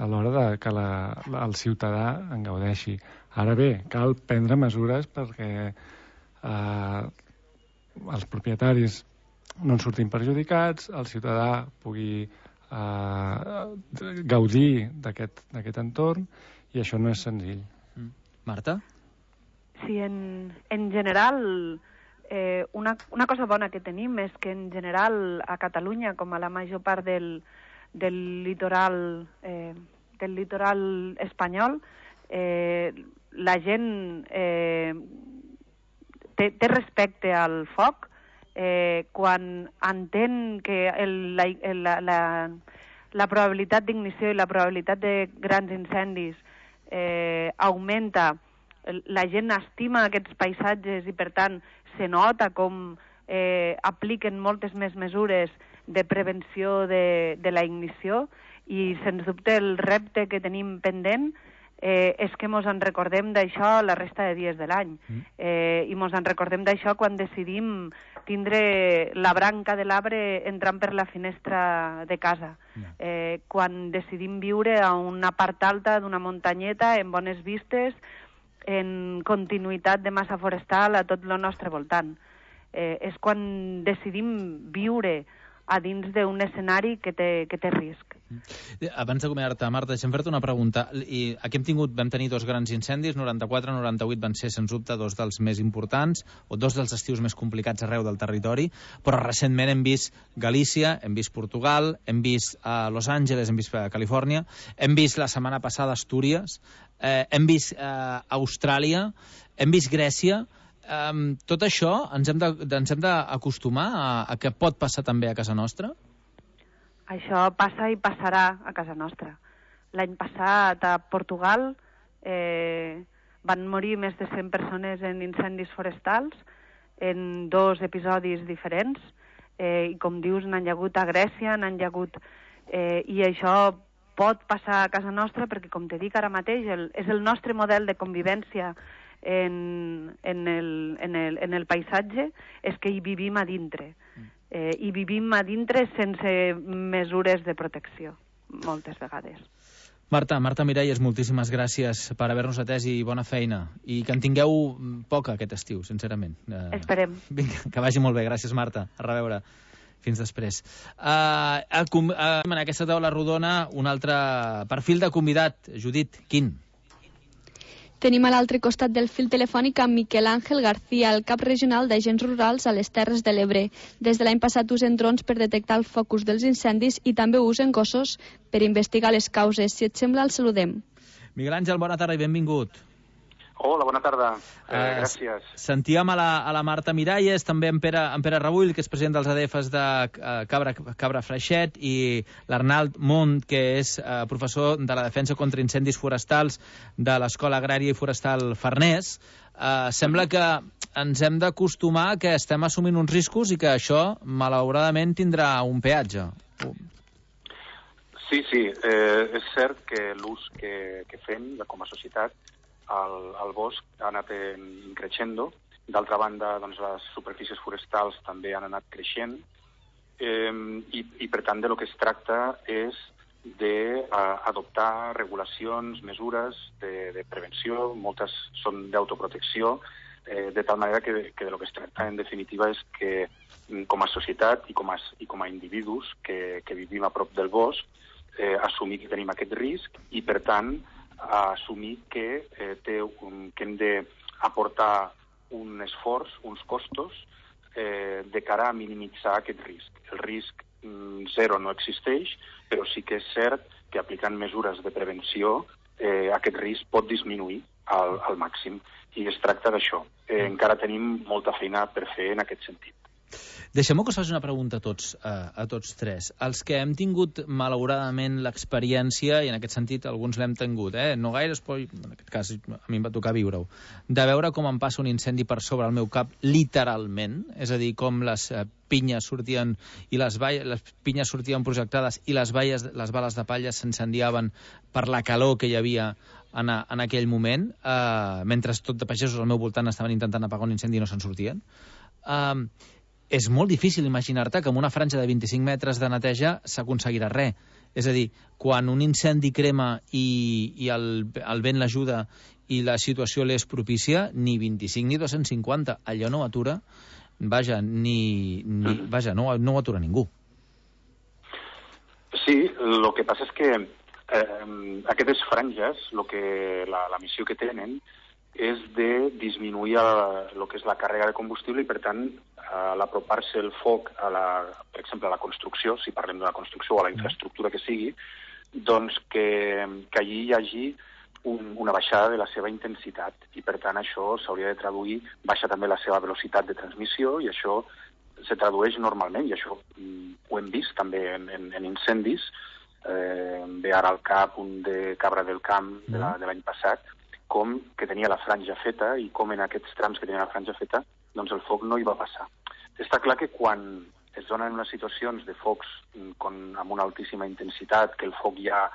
a l'hora de que la, la, el ciutadà en gaudeixi. Ara bé, cal prendre mesures perquè uh, els propietaris no en surtin perjudicats, el ciutadà pugui Uh, gaudir d'aquest entorn, i això no és senzill. Mm. Marta? Sí, en, en general, eh, una, una cosa bona que tenim és que en general a Catalunya, com a la major part del, del litoral eh, del litoral espanyol, eh, la gent eh, té, té respecte al foc. Eh, quan entén que el, la, la, la, la probabilitat d'ignició i la probabilitat de grans incendis eh, augmenta, la gent estima aquests paisatges i, per tant, se nota com eh, apliquen moltes més mesures de prevenció de, de la ignició, i, sens dubte, el repte que tenim pendent Eh, és que mos en recordem d'això la resta de dies de l'any. Eh, I mos en recordem d'això quan decidim tindre la branca de l'arbre entrant per la finestra de casa. Eh, quan decidim viure a una part alta d'una muntanyeta amb bones vistes, en continuïtat de massa forestal a tot el nostre voltant. Eh, és quan decidim viure a dins d'un escenari que té, que té risc. Abans d'acomiadar-te, Marta, deixa'm fer-te una pregunta. I aquí hem tingut, vam tenir dos grans incendis, noranta-quatre i noranta-vuit van ser, sens dubte, dos dels més importants, o dos dels estius més complicats arreu del territori, però recentment hem vist Galícia, hem vist Portugal, hem vist a Los Angeles, hem vist a Califòrnia, hem vist la setmana passada Astúries, eh, hem vist eh, Austràlia, hem vist Grècia. Um, tot això ens hem de, ens hem d'acostumar a, a que pot passar també a casa nostra? Això passa i passarà a casa nostra. L'any passat a Portugal eh, van morir més de cent persones en incendis forestals en dos episodis diferents, eh, i com dius, n'han hagut a Grècia, n'han hagut... Eh, i això pot passar a casa nostra perquè, com te dic ara mateix, el, és el nostre model de convivència En, en, el, en, el, en el paisatge, és que hi vivim a dintre. Eh, hi vivim a dintre sense mesures de protecció, moltes vegades. Marta, Marta Miralles, moltíssimes gràcies per haver-nos atès i bona feina. I que en tingueu poca aquest estiu, sincerament. Eh, Esperem. Vinga, que vagi molt bé. Gràcies, Marta. A reveure. Fins després. Uh, a, a, en aquesta taula rodona, un altre perfil de convidat. Judit, quin? Tenim a l'altre costat del fil telefònic amb Miquel Àngel García, el cap regional d'agents rurals a les Terres de l'Ebre. Des de l'any passat usen drons per detectar el focus dels incendis i també usen gossos per investigar les causes. Si et sembla, el saludem. Miguel Àngel, bona tarda i benvingut. Hola, bona tarda. Eh, eh, gràcies. Sentíem a la, a la Marta Miralles, també en Pere, en Pere Rebull, que és president dels A D Fs de uh, Cabra, Cabra Freixet, i l'Arnald Mont, que és uh, professor de la defensa contra incendis forestals de l'Escola Agrària i Forestal Farners. Uh, sembla que ens hem d'acostumar que estem assumint uns riscos i que això, malauradament, tindrà un peatge. Sí, sí, eh, és cert que l'ús que, que fem com a societat El, el bosc ha anat creixent. D'altra banda, doncs, les superfícies forestals també han anat creixent, eh, i, i per tant de lo que es tracta és d'adoptar regulacions, mesures de, de prevenció, moltes són d'autoprotecció, eh, de tal manera que, que de lo que es tracta en definitiva és que com a societat i com a, i com a individus que, que vivim a prop del bosc, eh, assumir que tenim aquest risc i, per tant, assumir que, eh, té un, que hem d'aportar un esforç, uns costos, eh, de cara a minimitzar aquest risc. El risc mm, zero no existeix, però sí que és cert que aplicant mesures de prevenció eh, aquest risc pot disminuir al, al màxim. I es tracta d'això. Eh, encara tenim molta feina per fer en aquest sentit. Deixem-me que us faci una pregunta a tots, a, a tots tres. Els que hem tingut, malauradament, l'experiència, i en aquest sentit alguns l'hem tingut, eh? no gaires, però en aquest cas a mi em va tocar viure-ho, de veure com em passa un incendi per sobre el meu cap, literalment, és a dir, com les eh, pinyes sortien i les, valles, les pinyes sortien projectades i les, valles, les bales de palla s'incendiaven per la calor que hi havia en, a, en aquell moment, eh, mentre tot de pagesos al meu voltant estaven intentant apagar un incendi i no se'n sortien. Eh, és molt difícil imaginar-te que amb una franja de vint-i-cinc metres de neteja s'aconseguirà res. És a dir, quan un incendi crema i, i el, el vent l'ajuda i la situació l'és propícia, ni vint-i-cinc ni dos-cents cinquanta. Allò no atura, vaja, ni, ni, vaja no, no ho atura ningú. Sí, el que passa és que eh, aquestes franges, lo que, la, la missió que tenen, és de disminuir el que és la càrrega de combustible i, per tant, a l'apropar-se el foc, a la, per exemple, a la construcció, si parlem d'una construcció o a la infraestructura que sigui, doncs que, que allí hi hagi un, una baixada de la seva intensitat i, per tant, això s'hauria de traduir, baixa també la seva velocitat de transmissió i això se tradueix normalment, i això mm, ho hem vist també en, en, en incendis. Eh, ve ara al cap un de Cabra del Camp de la, de l'any passat, com que tenia la franja feta i com en aquests trams que tenia la franja feta, doncs el foc no hi va passar. Està clar que quan es donen unes situacions de focs con, amb una altíssima intensitat, que el foc ja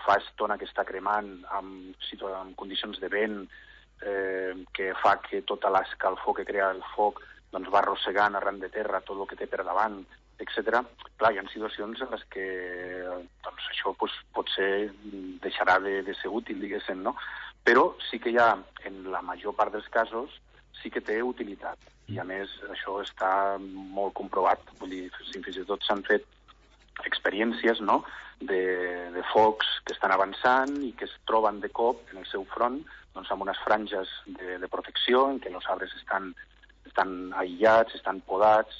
fa estona que està cremant, amb, amb condicions de vent, eh, que fa que tota l'escalfor que crea el foc doncs va arrossegant arran de terra tot el que té per davant, etcètera. Clar, hi ha situacions en les que doncs, això pues, potser deixarà de, de ser útil, diguéssim, no? Però sí que hi ha, en la major part dels casos, sí que té utilitat. I a més, això està molt comprovat. Vull dir, fins i tot s'han fet experiències, no?, de, de focs que estan avançant i que es troben de cop en el seu front doncs, amb unes franges de, de protecció en què els arbres estan, estan aïllats, estan podats,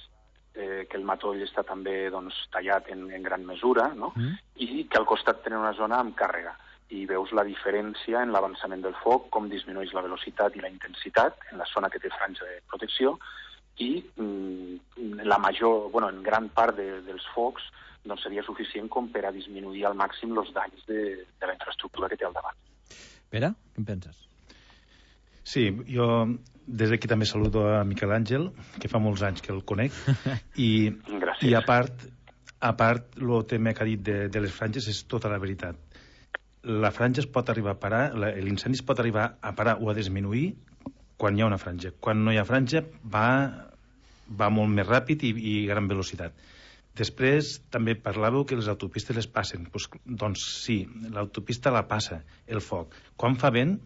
eh, que el matoll està també doncs, tallat en, en gran mesura, no?, mm. i que al costat tenen una zona amb càrrega. I veus la diferència en l'avançament del foc, com disminueix la velocitat i la intensitat en la zona que té franja de protecció i mm, la major, bueno, en gran part de, dels focs doncs seria suficient com per a disminuir al màxim els danys de, de la infraestructura que té al davant. Pere, què en penses? Sí, jo des d'aquí també saludo a Miquel Àngel, que fa molts anys que el conec, i, i a part, a part el tema que ha dit de, de les franges és tota la veritat. La franja es pot arribar a parar, l'incendi es pot arribar a parar o a disminuir quan hi ha una franja. Quan no hi ha franja va, va molt més ràpid i, i gran velocitat. Després també parlàveu que les autopistes les passen. Pues, doncs sí, l'autopista la passa, el foc. Quan fa vent,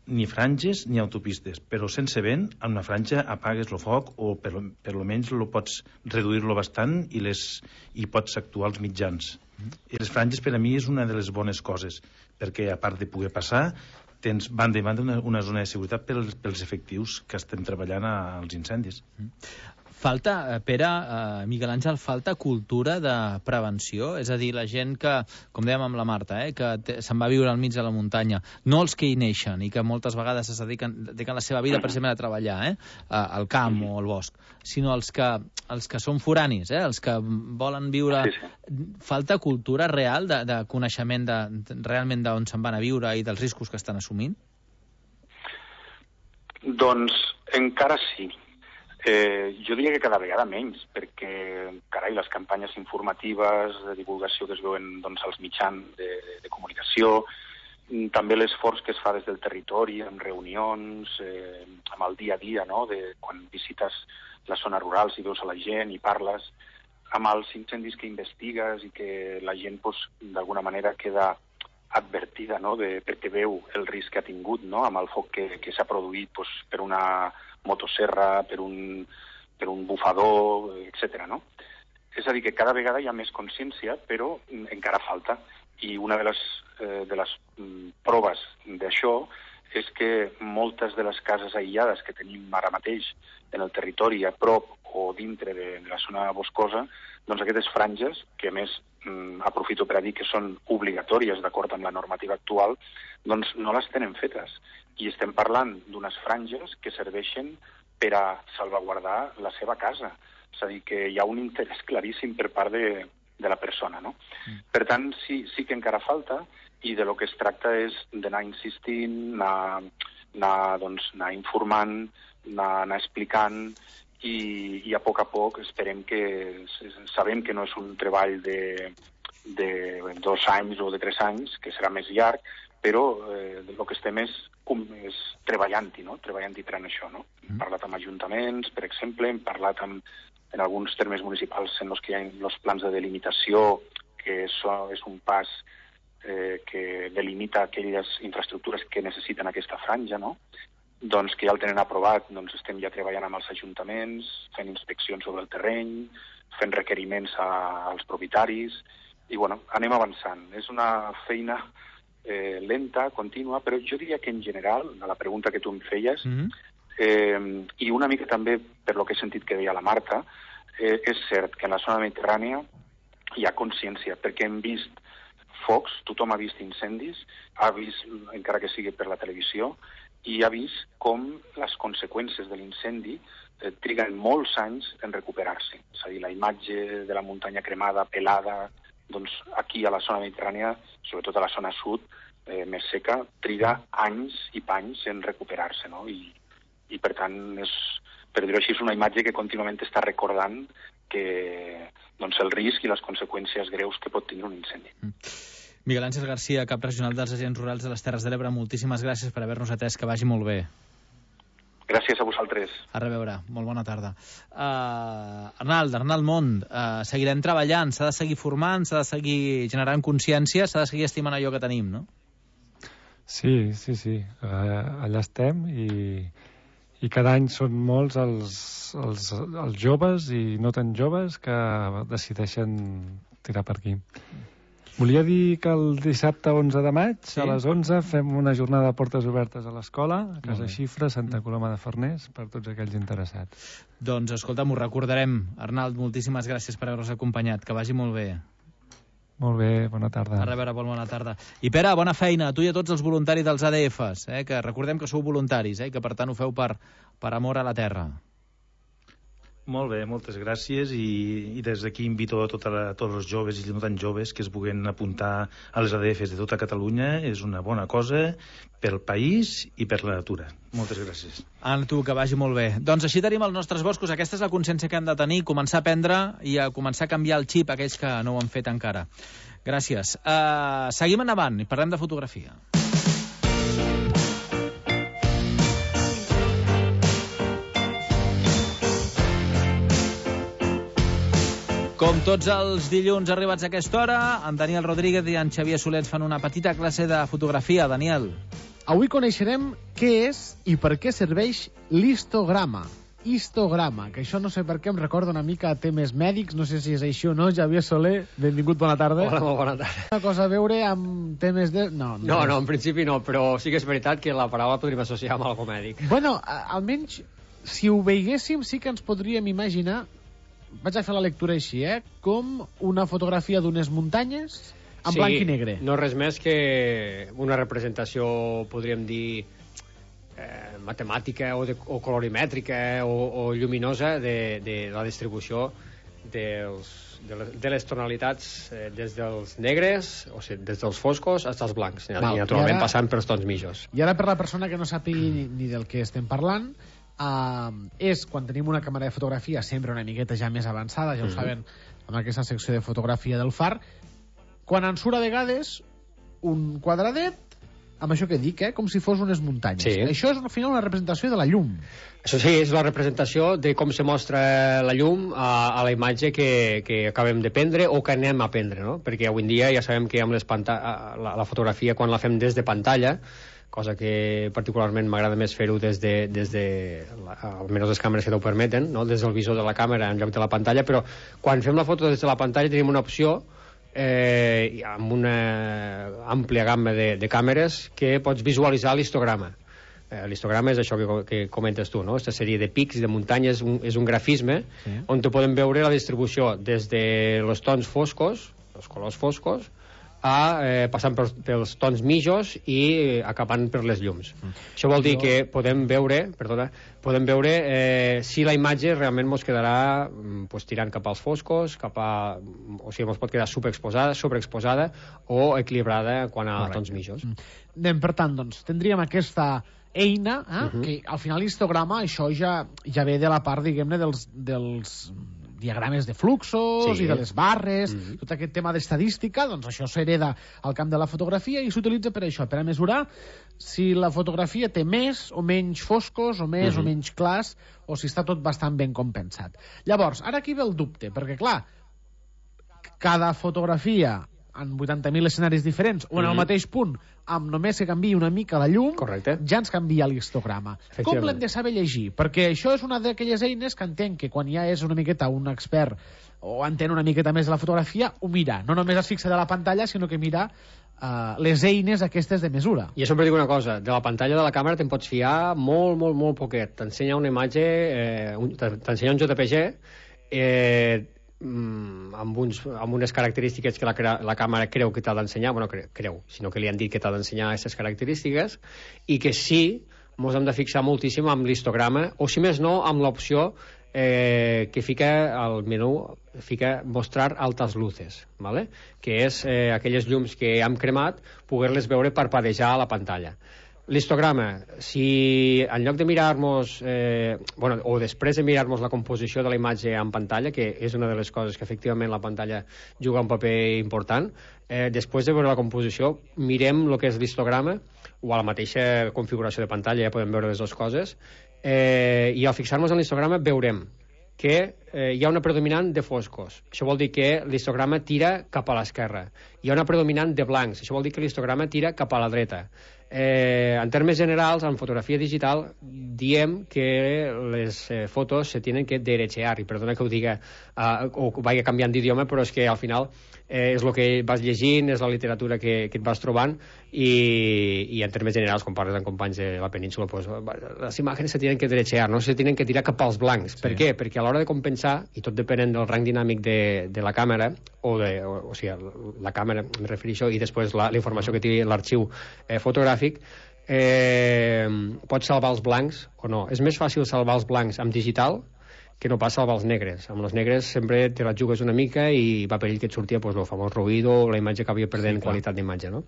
ni franges ni autopistes, però sense vent, amb una franja apagues el foc o per, per almenys lo pots reduir-lo bastant i, les, i pots actuar als mitjans. Mm. I les franges per a mi és una de les bones coses, perquè a part de poder passar, tens banda i banda una, una zona de seguretat pels, pels efectius que estem treballant als incendis. Mm. Falta, Pere, eh, Miquel Àngel, falta cultura de prevenció? És a dir, la gent que, com dèiem amb la Marta, eh, que se'n va viure al mig de la muntanya, no els que hi neixen i que moltes vegades es dediquen, dediquen la seva vida precisament a treballar, eh, al camp o al bosc, sinó els que, els que són foranis, eh, els que volen viure... Sí, sí. Falta cultura real de, de coneixement de, de, realment d'on se'n van a viure i dels riscos que estan assumint? Doncs encara sí. Eh, jo diria que cada vegada menys, perquè, carai, les campanyes informatives de divulgació que es veuen doncs, als mitjans de, de comunicació, també l'esforç que es fa des del territori, amb reunions, eh, amb el dia a dia, no?, de quan visites les zones rurals i veus a la gent i parles, amb els incendis que investigues i que la gent pues, d'alguna manera queda advertida, no?, de, perquè veu el risc que ha tingut, no?, amb el foc que, que s'ha produït pues, per una motosserra, per un, per un bufador, etcètera, no? És a dir, que cada vegada hi ha més consciència, però encara falta. I una de les, eh, de les mm, proves d'això és que moltes de les cases aïllades que tenim ara mateix en el territori, a prop o dintre de, de la zona boscosa, doncs aquestes franges, que a més mm, aprofito per a dir que són obligatòries d'acord amb la normativa actual, doncs no les tenen fetes. I estem parlant d'unes franges que serveixen per a salvaguardar la seva casa. És a dir, que hi ha un interès claríssim per part de, de la persona, no? Mm. Per tant, sí, sí que encara falta, i de lo que es tracta és d'anar insistint, anar, anar, doncs, anar informant, anar, anar explicant, i, i a poc a poc esperem que... Sabem que no és un treball de, de dos anys o de tres anys, que serà més llarg, però eh, el que estem és, com, és treballant-hi, no? Treballant-hi per això, no? Mm. Hem parlat amb ajuntaments, per exemple, hem parlat amb, en alguns termes municipals en els que hi ha els plans de delimitació, que això és un pas eh, que delimita aquelles infraestructures que necessiten aquesta franja, no? Doncs que ja el tenen aprovat, doncs estem ja treballant amb els ajuntaments, fent inspeccions sobre el terreny, fent requeriments a, als propietaris, i bueno, anem avançant. És una feina eh, lenta, contínua, però jo diria que en general, a la pregunta que tu em feies, mm-hmm. eh, i una mica també per lo que he sentit que deia la Marta, eh, és cert que en la zona mediterrània hi ha consciència, perquè hem vist focs, tothom ha vist incendis, ha vist, encara que sigui per la televisió, i ha vist com les conseqüències de l'incendi eh, triguen molts anys en recuperar-se. És a dir, la imatge de la muntanya cremada, pelada, doncs aquí a la zona mediterrània, sobretot a la zona sud, eh, més seca, triga anys i panys en recuperar-se, no? I, i per tant, és, per dir-ho així, és una imatge que contínuament està recordant que doncs, el risc i les conseqüències greus que pot tenir un incendi. Mm. Miguel Àngel Garcia, cap regional dels Agents Rurals de les Terres de l'Ebre, moltíssimes gràcies per haver-nos atès, que vagi molt bé. Gràcies a vosaltres. A reveure, molt bona tarda. Uh, Arnald, Arnald Mont, uh, seguirem treballant, s'ha de seguir formant, s'ha de seguir generant consciència, s'ha de seguir estimant allò que tenim, no? Sí, sí, sí, uh, allà estem i, i cada any són molts els, els, els joves i no tan joves que decideixen tirar per aquí. Volia dir que el dissabte onze de maig, sí, a les onze, fem una jornada de portes obertes a l'escola, a Casa Xifra, Santa Coloma de Farners, per tots aquells interessats. Doncs, escolta'm, ho recordarem. Arnald, moltíssimes gràcies per haver-nos acompanyat. Que vagi molt bé. Molt bé, bona tarda. A reveure, bona tarda. I Pere, bona feina a tu i a tots els voluntaris dels A D Fs, eh? Que recordem que sou voluntaris, eh? Que per tant ho feu per, per amor a la terra. Molt bé, moltes gràcies, i, i des d'aquí invito a, tota la, a tots els joves i no tan joves que es puguen apuntar a les A D Fs de tota Catalunya. És una bona cosa pel país i per la natura. Moltes gràcies. A tu, que vagi molt bé. Doncs així tenim els nostres boscos. Aquesta és la consciència que hem de tenir, començar a aprendre i a començar a canviar el xip a aquells que no ho han fet encara. Gràcies. Uh, seguim endavant i parlem de fotografia. Com tots els dilluns arribats a aquesta hora, en Daniel Rodríguez i en Xavier Soler fan una petita classe de fotografia. Daniel. Avui coneixerem què és i per què serveix l'histograma. Histograma, que això no sé per què em recorda una mica a temes mèdics, no sé si és això o no. Xavier Soler, benvingut, bona tarda. Hola, molt bona tarda. Una cosa a veure amb temes de... No, no, no, no, en principi no, però sí que és veritat que la paraula podríem associar amb algo mèdic. Bueno, almenys, si ho veiéssim, sí que ens podríem imaginar, vaig a fer la lectura així, eh? Com una fotografia d'unes muntanyes en sí, blanc i negre. No res més que una representació, podríem dir, eh, matemàtica o, de, o colorimètrica o, o lluminosa de, de la distribució dels, de, les, de les tonalitats eh, des dels negres, o sigui, des dels foscos fins als blancs, Val, i naturalment i ara, passant pels tons mitjos. I ara, per la persona que no sàpiga ni, ni del que estem parlant, Uh, és quan tenim una càmera de fotografia sempre una miqueta ja més avançada, ja ho uh-huh. saben amb aquesta secció de fotografia del Far, quan ens surt a vegades un quadradet amb això que dic, eh? Com si fos unes muntanyes. Sí. Això és al final una representació de la llum. Això sí, és la representació de com se mostra la llum a, a la imatge que, que acabem de prendre o que anem a prendre, no? Perquè avui en dia ja sabem que amb les panta la, la fotografia, quan la fem des de pantalla, cosa que particularment m'agrada més fer-ho des de, des de la, almenys les càmeres que t'ho permeten, no? Des del visor de la càmera en lloc de la pantalla, però quan fem la foto des de la pantalla tenim una opció eh, amb una àmplia gamma de, de càmeres que pots visualitzar l'histograma. Eh, l'histograma és això que, que comentes tu, no? Aquesta sèrie de pics, de muntanyes, un, és un grafisme sí. on te podem veure la distribució des de els tons foscos, els colors foscos, a, eh, passant pels, pels tons mitjos i eh, acabant per les llums. Mm. Això vol dir jo... que podem veure, perdona, podem veure eh, si la imatge realment ens quedarà pues, tirant cap als foscos, cap a, o sigui, ens pot quedar superexposada, sobreexposada o equilibrada quan a Correcte. Tons mitjos. Mm. Anem, per tant, doncs, tindríem aquesta eina, eh, uh -huh. que al final l'histograma, això ja, ja ve de la part, diguem-ne, dels... dels diagrames de fluxos sí. i de les barres, mm -hmm. tot aquest tema d'estadística, doncs això s'hereda al camp de la fotografia i s'utilitza per això, per a mesurar si la fotografia té més o menys foscos, o més mm -hmm. o menys clars, o si està tot bastant ben compensat. Llavors, ara aquí ve el dubte, perquè clar, cada fotografia en vuitanta mil escenaris diferents o en el mateix punt, amb només que canviï una mica la llum, Correcte. ja ens canvia l'histograma. Com l'hem de saber llegir? Perquè això és una d'aquelles eines que entenc que quan ja és una miqueta un expert o entén una miqueta més de la fotografia, ho mira. No només es fixa de la pantalla, sinó que mira uh, les eines aquestes de mesura. I sempre dic una cosa, de la pantalla de la càmera te'n pots fiar molt, molt, molt poquet. T'ensenya una imatge, eh, un, t'ensenya un J P G, eh, amb, uns, amb unes característiques que la, la càmera creu que t'ha d'ensenyar, bueno, cre, creu, sinó que li han dit que t'ha d'ensenyar aquestes característiques, i que sí, ens hem de fixar moltíssim amb l'histograma, o si més no, amb l'opció eh, que fica al menú, fica mostrar altes luces, ¿vale? Que és eh, aquelles llums que hem cremat, poder-les veure parpadejar a la pantalla. L'histograma, si en lloc de mirar-nos, eh, bueno, o després de mirar-nos la composició de la imatge en pantalla, que és una de les coses que efectivament la pantalla juga un paper important, eh, després de veure la composició, mirem el que és l'histograma, o a la mateixa configuració de pantalla, ja podem veure les dues coses, eh, i al fixar-nos en l'histograma veurem que eh, hi ha una predominant de foscos. Això vol dir que l'histograma tira cap a l'esquerra. Hi ha una predominant de blancs. Això vol dir que l'histograma tira cap a la dreta. Eh, en termes generals, en fotografia digital, diem que les eh, fotos se tienen que derechear, i perdona que ho diga eh, o vagi canviant d'idioma, però és que al final eh, és el que vas llegint, és la literatura que, que et vas trobant, i, i en termes generals, quan parles amb companys de la península, pues, les imatges se tienen que derechear, no se tienen que tirar cap als blancs. Sí. Per què? Perquè a l'hora de compensar, i tot depenent del rang dinàmic de, de la càmera, o, de, o, o sigui, la càmera, em refereixo, i després la, la informació que té l'arxiu eh, fotogràfic, eh, pots salvar els blancs o no. És més fàcil salvar els blancs amb digital que no pas salvar els negres. Amb els negres sempre te la jugues una mica i va perill que et sortia pues, el famós ruïdo, la imatge que havia perdent sí, qualitat d'imatge, no?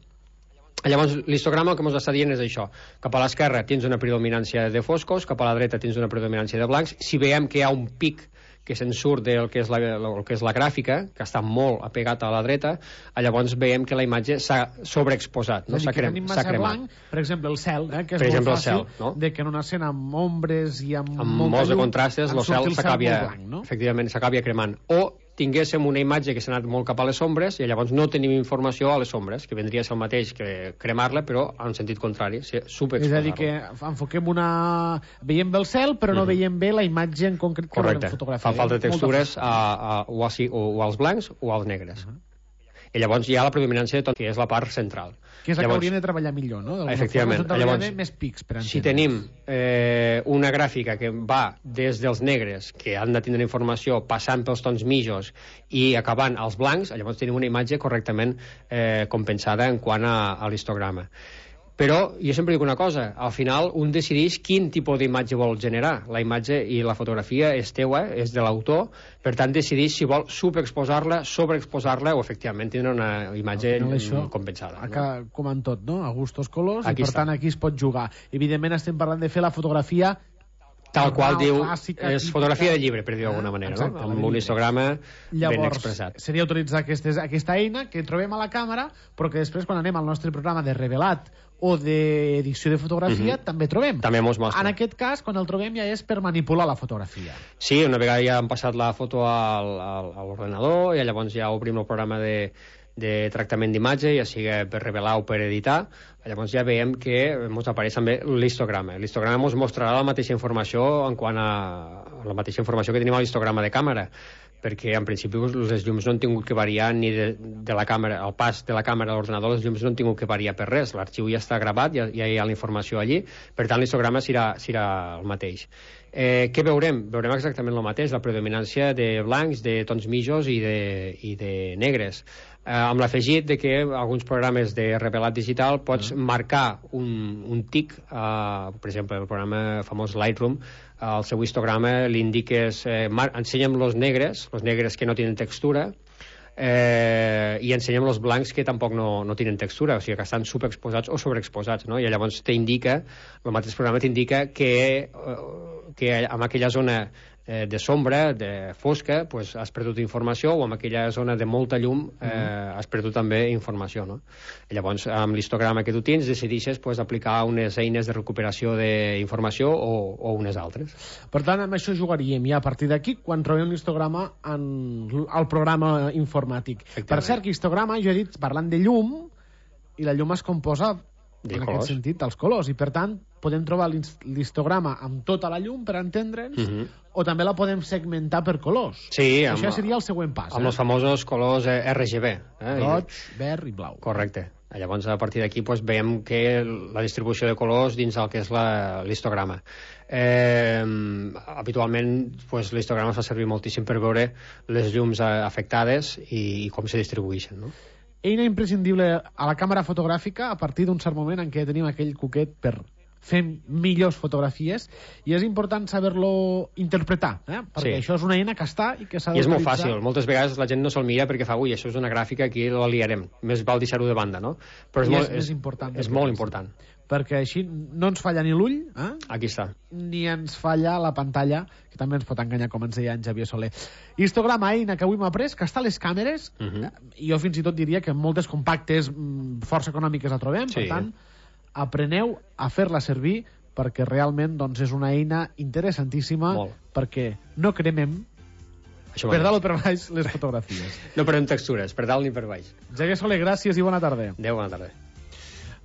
Llavors, l'histograma el que ens està dient és això. Cap a l'esquerra tens una predominància de foscos, cap a la dreta tens una predominància de blancs. Si veiem que hi ha un pic que se'n surt del que és la, el que és la gràfica, que està molt apegat a la dreta, llavors veiem que la imatge s'ha sobreexposat, no? S'ha crem, cremat. Blanc, per exemple, el cel, eh, que és per molt exemple, fàcil, el cel, no? de que en una escena amb ombres i amb, amb molta molts de llum, contrastes, el cel s'acabia, no? Efectivament, s'acabia cremant. O tinguéssim una imatge que s'ha anat molt cap a les ombres i llavors no tenim informació a les ombres, que vendria a ser el mateix que cremar-la, però en sentit contrari, superexposar-la. És a dir, que enfoquem una... Veiem bé el cel, però no mm -hmm. veiem bé la imatge en concret que volem fotografiar. Fa falta de textures a, a, o, a, o, o als blancs o als negres. Uh -huh. I llavors hi ha la predominància de tot, que és la part central. Que és la llavors, que hauríem de treballar millor, no? Efectivament. Llavors, més pics, per si tenim eh, una gràfica que va des dels negres, que han de tindre informació, passant pels tons mitjos i acabant als blancs, llavors tenim una imatge correctament eh, compensada en quant a, a l'histograma. Però jo sempre dic una cosa, al final un decideix quin tipus d'imatge vol generar. La imatge i la fotografia és teua, és de l'autor, per tant decideix si vol subexposar-la, sobreexposar-la o efectivament tindre una imatge això, compensada. Acá, no? Com en tot, no? A gustos colors, aquí i per està. tant aquí es pot jugar. Evidentment estem parlant de fer la fotografia tal qual diu, clàssica, és fotografia de llibre, per dir-ho d'alguna manera, exacte, no? Amb un histograma ben expressat. Llavors, seria utilitzar aquestes, aquesta eina que trobem a la càmera, però que després, quan anem al nostre programa de revelat o d'edició de fotografia, Mhm. també trobem. També mos mostra. En aquest cas, quan el trobem ja és per manipular la fotografia. Sí, una vegada ja han passat la foto al, al, a l'ordenador i llavors ja obrim el programa de, de tractament d'imatge, ja sigui per revelar o per editar, llavors ja veiem que ens apareix també l'histograma. L'histograma ens mostrarà la mateixa informació en quant a la mateixa informació que tenim a l'histograma de càmera, perquè en principi les llums no han tingut que variar ni de, de la càmera, el pas de la càmera a l'ordenador, les llums no han tingut que variar per res, l'arxiu ja està gravat, ja, ja hi ha la informació allí, per tant l'histograma serà, serà el mateix. Eh, què veurem? Veurem exactament el mateix, la predominància de blancs, de tons mitjos i de, i de negres. Eh, amb l'afegit de que alguns programes de revelat digital pots mm. marcar un, un tic, eh, per exemple, el programa famós Lightroom, al seu histograma li indiques, eh, ensenya'm los negres, los negres que no tenen textura, eh, i ensenya'm els blancs que tampoc no, no tenen textura, o sigui que estan subexposats o sobreexposats, no? I llavors t'indica, el mateix programa t'indica que, eh, que en aquella zona eh, de sombra, de fosca, pues, has perdut informació, o en aquella zona de molta llum eh, mm. has perdut també informació, no? I llavors, amb l'histograma que tu tens, decideixes pues, aplicar unes eines de recuperació d'informació o, o unes altres. Per tant, amb això jugaríem ja a partir d'aquí quan trobem l'histograma en el programa informàtic. Per cert, que histograma, jo he dit, parlant de llum, i la llum es composa de en colors. aquest sentit, dels colors, i per tant podem trobar l'histograma amb tota la llum per entendre'ns, uh -huh. o també la podem segmentar per colors. Sí, amb, això seria el següent pas. Amb eh? els famosos colors eh, R G B. Eh? Roig, verd i blau. Correcte. Llavors, a partir d'aquí, pues, veiem que la distribució de colors dins el que és l'histograma. Eh, habitualment, pues, l'histograma es fa servir moltíssim per veure les llums afectades i, i com se distribueixen, no? Eina imprescindible a la càmera fotogràfica a partir d'un cert moment en què tenim aquell cuquet per fer millors fotografies, i és important saber-lo interpretar, eh? perquè Sí. això és una eina que està i que s'ha I és molt d'utilitzar. fàcil. Moltes vegades la gent no se'l mira perquè fa, ui, això és una gràfica, aquí la liarem. Més val deixar-ho de banda, no? Però és, I molt, és més important És del molt que important. Perquè així no ens falla ni l'ull, eh? Aquí està. ni ens falla la pantalla, que també ens pot enganyar, com ens deia en Xavier Soler. Histograma, eina que avui m'ha après, que està a les càmeres, Uh -huh. i jo fins i tot diria que en moltes compactes mm, força econòmiques la trobem, Sí. per tant, apreneu a fer-la servir, perquè realment doncs, és una eina interessantíssima, Molt. perquè no cremem Això per mateix. dalt o per baix les fotografies. No perdem textures, per dalt ni per baix. Xavier Soler, gràcies i bona tarda. Adéu, bona tarda.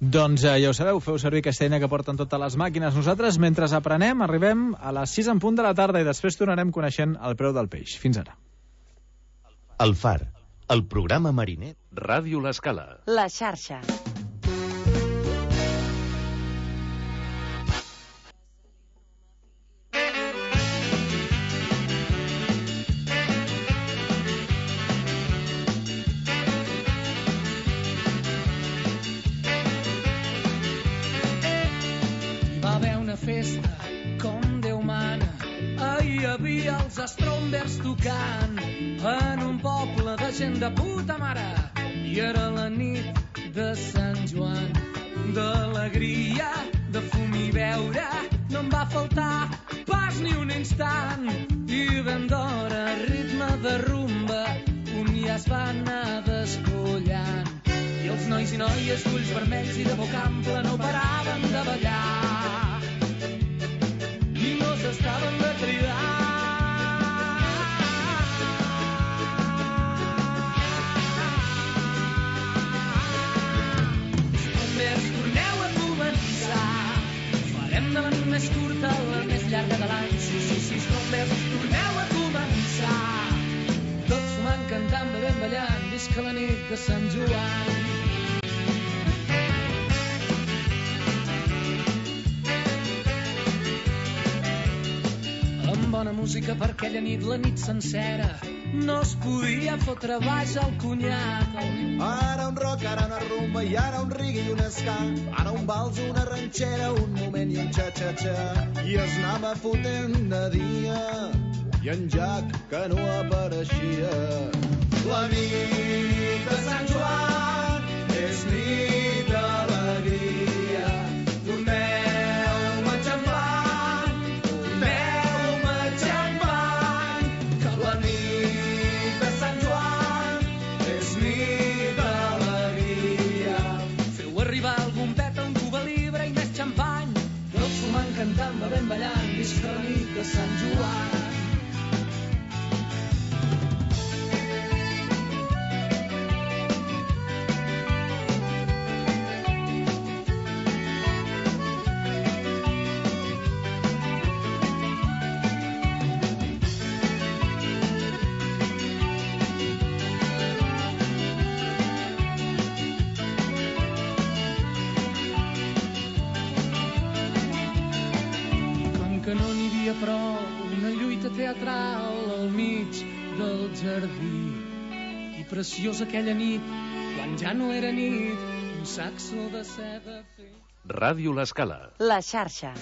Doncs eh, ja ho sabeu, feu servir aquesta eina que porten totes les màquines. Nosaltres, mentre aprenem, arribem a les sis en punt de la tarda i després tornarem coneixent el preu del peix. Fins ara. El Far, el programa mariner. Ràdio L'Escala. La xarxa. Va haver una festa com Déu mana. Ahir hi havia els Strombers tocant en un poble de gent de puta mare. I era la nit de Sant Joan, d'alegria, de fum i beure. No em va faltar pas ni un instant. I ben d'hora, ritme de rumba, un ja es va anar despullant. I els nois i noies d'ulls vermells i de boca ampla no paraven de ballar i no s'estaven de cridar. Strombers, torneu a començar. Farem de la nit més curta la més llarga de l'any. Sí, sí, sí, Strombers, torneu a començar. Tots sumant, cantant, bevent, ballant. Visca la nit de Sant Joan. Amb bona música per aquella nit, la nit sencera, no es podia fotre baix al conyac. Ara un rock, ara una rumba, i ara un reggae i un ska. Ara un vals, una ranxera, un moment i un xa-xa-xa. I es anava fotent de dia, i en Jack que no apareixia. La nit de Sant Joan és nit d'alegria. Torneu-me xampany, torneu però una lluita teatral al mig del jardí. I preciosa aquella nit, quan ja no era nit, un saxo de seda fet... Ràdio L'Escala. La xarxa.